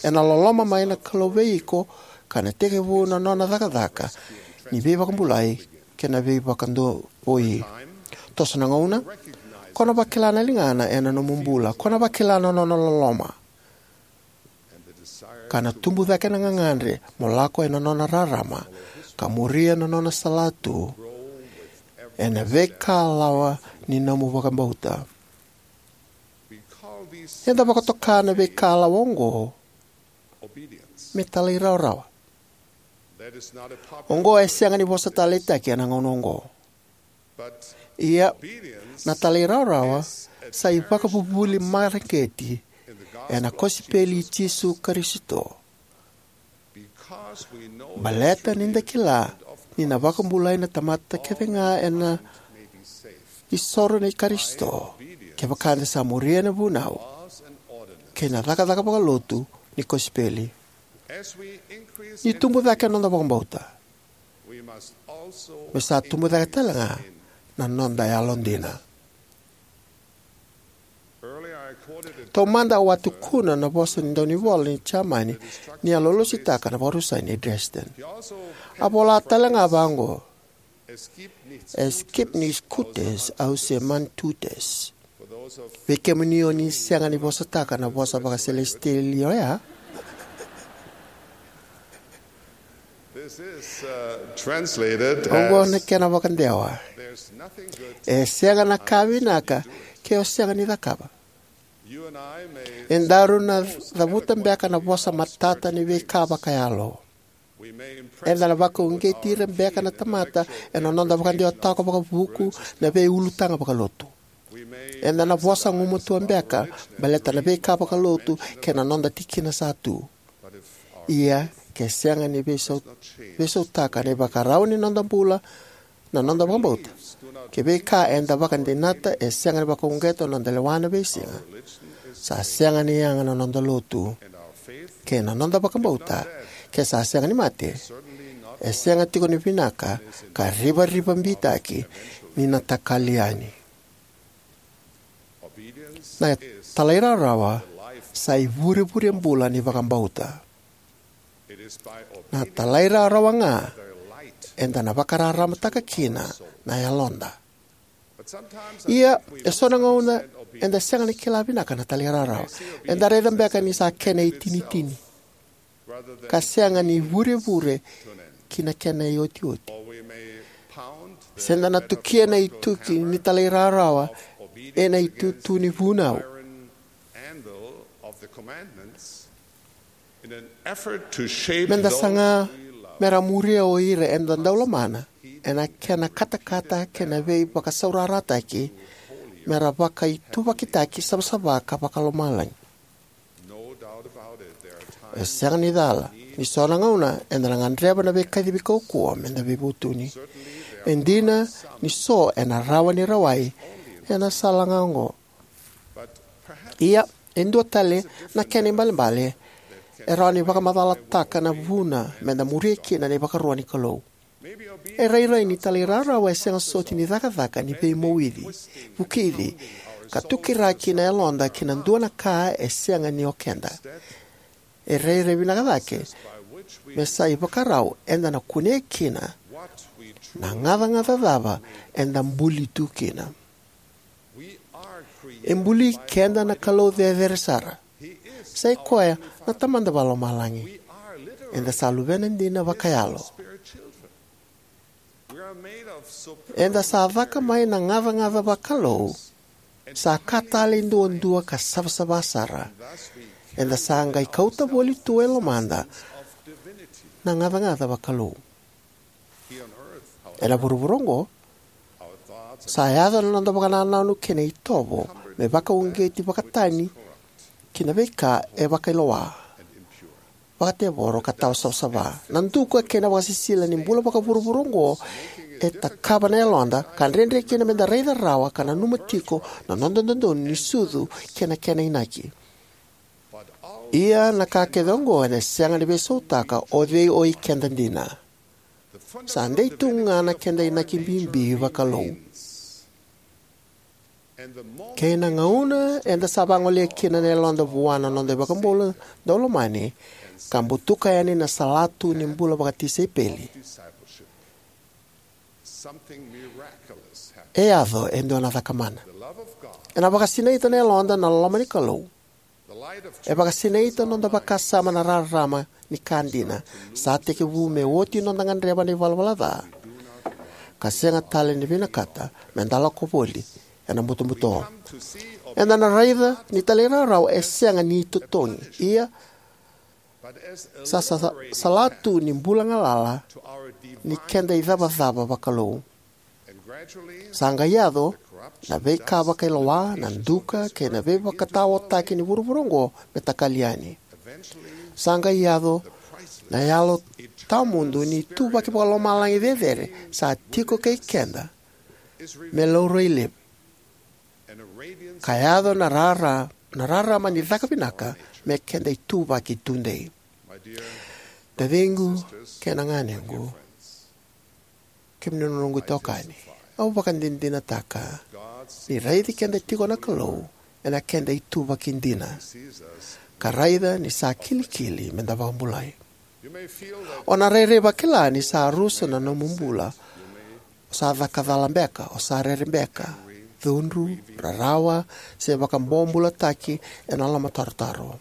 Ena loloma mai na Kalou vei iko, ka na tekivu na nona cakacaka ni veivakabulai kei na veivakadonui. Toso na gauna, ko na vakila na ligana ena nomu bula, ko na vakila na nona loloma. Ka na tubu cake na gagadre mo lako ena nona rarama, ka muria na nona salatu ena veikalawa ni nomu vakabauta. Eda vakatoka na veikalawa oqo me talairawarawa. Oqo e sega ni vosa taleitaki ena gauna oqo. Ia, na talairawarawa sa ivakavuvuli mareqeti ena kosipeli i Jisu Karisito. Baleta ni da kila ni na vakabulai na tamata kece ga ena isoro nei Karisito, kevaka eda sa muria na vunau kei na cakacaka vakalotu ni kosipeli. Ni tubu cake na noda vakabauta, me sa tubu cake tale ga na noda yalodina. Taumada au a tukuna na vosa ni daunivola ni Jamani ni a lolositaka na vakarusai nei Dresden. A vola tale ga vaqo: Es gibt nichts Gutes außer man tut es. Vei kemuni o ni sega ni vosataka na vosa vakaselesitieli oya, This is uh, translated oqo na as kena vakadewa: there's nothing good E sega na ka vinaka ke o sega ni cakava. You and I may E daru na cavuta beka na vosa matata ni veika vakayalo. We may impress Eda na vakauqeti ira beka na tamata ena noda vakadewataka vakavuku na veiulutaga vakalotu. Eda na vosa gumatua beka baleta na veika vakalotu kei na noda tikina sa tu. Ia, ke sega ni veisau, veisautaka na ivakarau ni noda bula na noda vakabauta, ke veika eda vakadinata e sega ni vakauqeta na noda lewa na veisiga, sa sega ni yaga na noda lotu. Kei na noda vakabauta, ke sa sega ni mate, e sega tiko ni vinaka ka rivarivabitaki ni na takali yani. Na talairawarawa sa ivurevure bula ni vakabauta. Na talairawarawa ga eda na vakararamataka kina na yaloda. Ia, eso na gauna eda sega ni kila vinaka na talairawarawa. Eda raica beka ni sa kena itinitini ka sega ni vurevure ki na kena iotioti. Se da na tukia na ituki ni talairawarawa ena itutu ni vunau. Meda saga me ra muria o ira eda dau lomana ena kena katakata kei na veivakasaurarataki, me ra vakaituvakitaki savasava ka vakalomalagi. E sega ni cala ni so na gauna eda na gadreva na veikacivi kaukauwa me da veivutuni. E dina ni so ena rawa ni rawai ena sala ga oqo. Ia, e dua tale na kena ibalebale e rawa ni vakamacalataka na vuna me da muria kina na ivakarua ni Kalou. E rairai ni talairawarawa e sega soti ni cakacaka ni veimoici, vukici, ka tukiraki na yaloda ki na dua na ka e sega ni o keda. E rairai vinaka cake me sa ivakarau eda na kunea kina na gacagaca cava eda buli tu kina. E buli keda na Kalou Cecere Sara. Sa i koya na Tamada Vakalomalagi. Eda sa luvena dina vakayalo. Eda sa caka mai na gacagaca vakalou, sa ka tale duadua ka savasava sara. Eda sa qai kauta voli tu e lomada na gacagaca vakalou. Ena vuravura oqo, sa yaco na noda vakanananu kei na itovo me vakauqeti vakatani ki na veika e vakailoa, vakatevoro ka tawa savasava. Na duka kei na vakasisila ni bula vakavuravura oqo e takava na yaloda ka dredre kina me da raica rawa ka nanuma tiko na noda dodonu ni sucu kei na kena inaki. Ia na ka kece oqo ena sega ni veisautaka o cei o i keda dina. Sa dei tu ga na keda inaki bibi vakalou. Kei na gauna eda sa vagolea kina na yaloda vua na noda iVakabula daulomani ka butuka yani na salatu ni bula vakatisaipeli, e yaco e dua na caka mana. Ena vakasinaita na yaloda na loloma ni Kalou. E vakasinaita noda vakasama na rarama ni ka dina. Sa tekivu me oti noda gadreva na ivalavala ca ka sega tale ni vinakata me da lako voli ena butobuto. Eda na raica ni talairawarawa e sega ni itotogi, ia sa, sa, sa, salatu ni bula galala ni keda icavacava vakalou. Sa qai yaco na veika vakailoa, na duka kei na veivakataotaki ni vuravura oqo me takali yani. Sa qai yaco na yalo tawamudu ni ituvaki vakalomalagi cecere sa tiko kei keda me laurai levu. Ka yaco na rara, na rarama ni caka vinaka me keda ituvaki tudei. Taciqu kei na ganequ, kemuni na noqu itokani, au vakadinadinataka ni raici keda tiko na Kalou ena keda ituvaki dina, ka raica ni sa kilikili me da vakabulai. O na rairai vakila ni sa rusa na nomu bula. O sa caka cala beka, o sa rere beka, cudru, rarawa, se vakabobulataki ena lomatarotaro.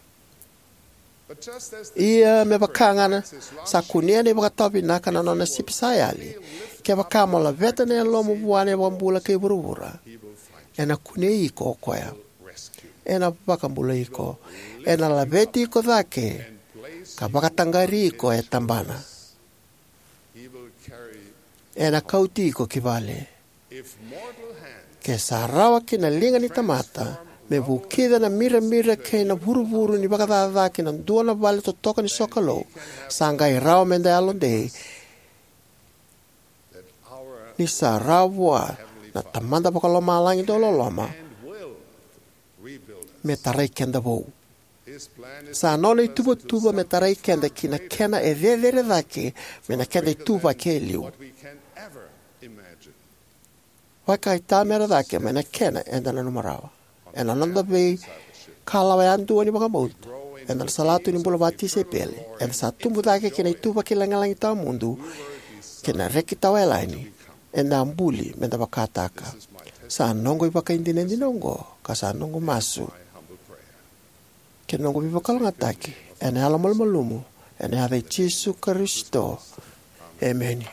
Ia me vaka ga na sa kunea na ivakatawa vinaka na nona sipi sa yali, kevaka mo laveta na yalomu vua na iVakabula kei vuravura, ena kunei iko o koya. Ena vakabulai iko, ena laveti iko cake, ka vakataqari iko e tabana. Ena kauti iko ki vale. Ke sa rawa ki na liga ni tamata me vukica na miramira kei na vuruvuru ni vakacaca ki na dua na vale totoka ni sokalou, sa qai rawa me da yalodei ni sa rawa vua na Tamada Vakalomalagi dauloloma me tarai keda vou. Sa nona ituvatuva me tarai keda ki na kena e cecere cake mai na keda ituvaki e liu. Vakaitamera cake mai na kena eda nanuma rawa. Ena noda veikalawa yadua ni vakabauta, eda na salatu ni bula vakatisaipeli, eda sa tubu cake ki na ituvaki lagilagi tawamudu kei na reki tawayalani eda a buli me da vakataka. Sa noqu ivakaidinadina oqo, ka sa noqu masu kei na noqu veivakalougatataki ena yalomalumalumu, ena yaca i Jisu Karisito. Emeni.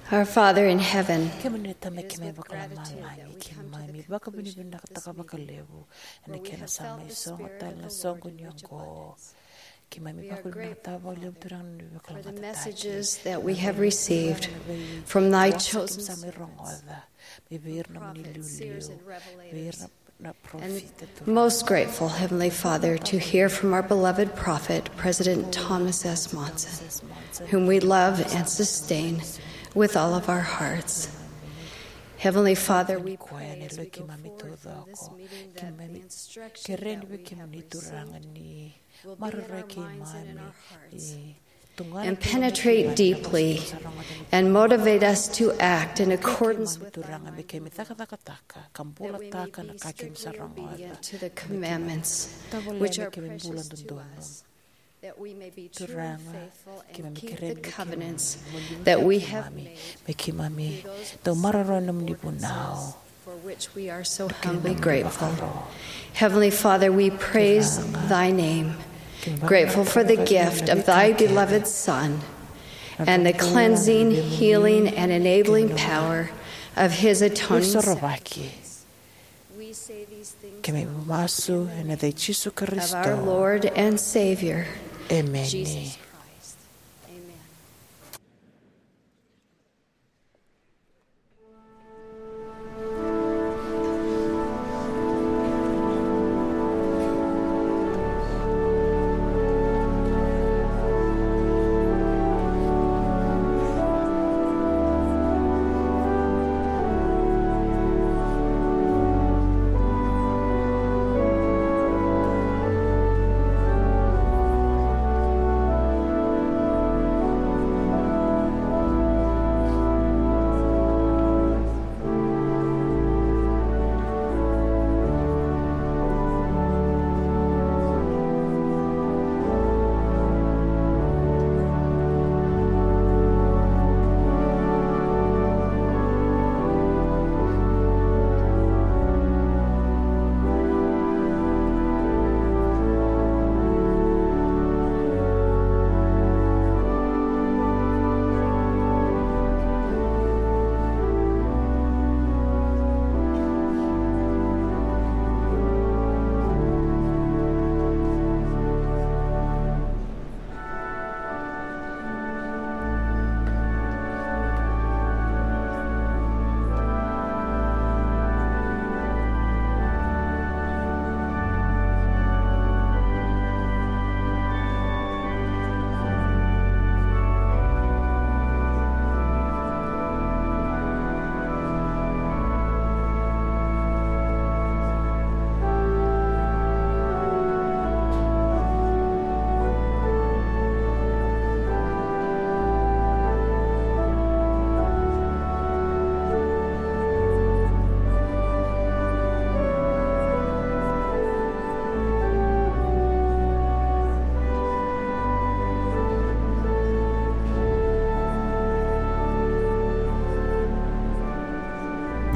Our Father in heaven, kemuni na Tamai keimami vakalomalagi, keimami vakavinavinakataka vakalevu ena kena sa mai sogo tale na soqo ni oqo. Keimami vakavinavinakataka vakalevu, Turaga, na nomuni veivakalougatataki, the messages that we have received from thy chosen servants, keimami sa mai rogoca mai vei ira na nomuni iliuliu, vei ira na, na parofita, Turaga. Most grateful, Heavenly Father, to hear from our beloved prophet, President Thomas S. Monson, whom we love and sustain with all of our hearts. Heavenly Father, we pray as we go forth from this meeting that the instruction that we have received will be in alignment with your hearts and penetrate deeply and motivate us to act in accordance with thy mind and will, that we may be obedient to the commandments which are precious to us, that we may be true and faithful and keep the covenants that we have made to those blessed souls for which we are so humbly grateful. Heavenly Father, we praise thy name, grateful for the gift of thy beloved Son and the cleansing, healing, and enabling power of his atoning sacrifice. Keimami masu ena yaca i Jisu Karisito, of our Lord and Savior, emeni. Jesus Christ. Amen.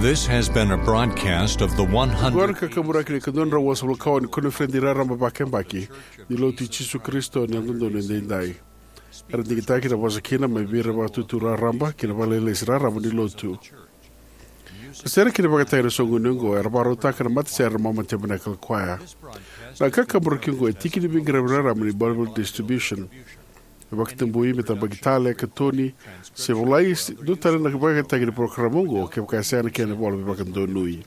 This has been a broadcast of the one hundred. Oqo na kakaburaki ni ka dua na drau vasagavulu ka ono ni koniferedi raraba vakayabaki ni Lotu i Jisu Karisito ni Yalododonu Edaidai. Era digitaki na vosa kina mai vei ira na vakatutu raraba kei na vakalesilesi raraba ni Lotu. Na sere kei na ivakatagi ena soqoni oqo era vakarautaka na matasere ena Matabose i Nakalikoya. Na kakaburaki oqo e tiki ni veiqaravi raraba ni Bible Distribution. E vakatabui me tabaki tale, katoni, se volai, se dua tale na ivakatagi ni porokaramu oqo kevaka e sega na kena ivola veivakadonui.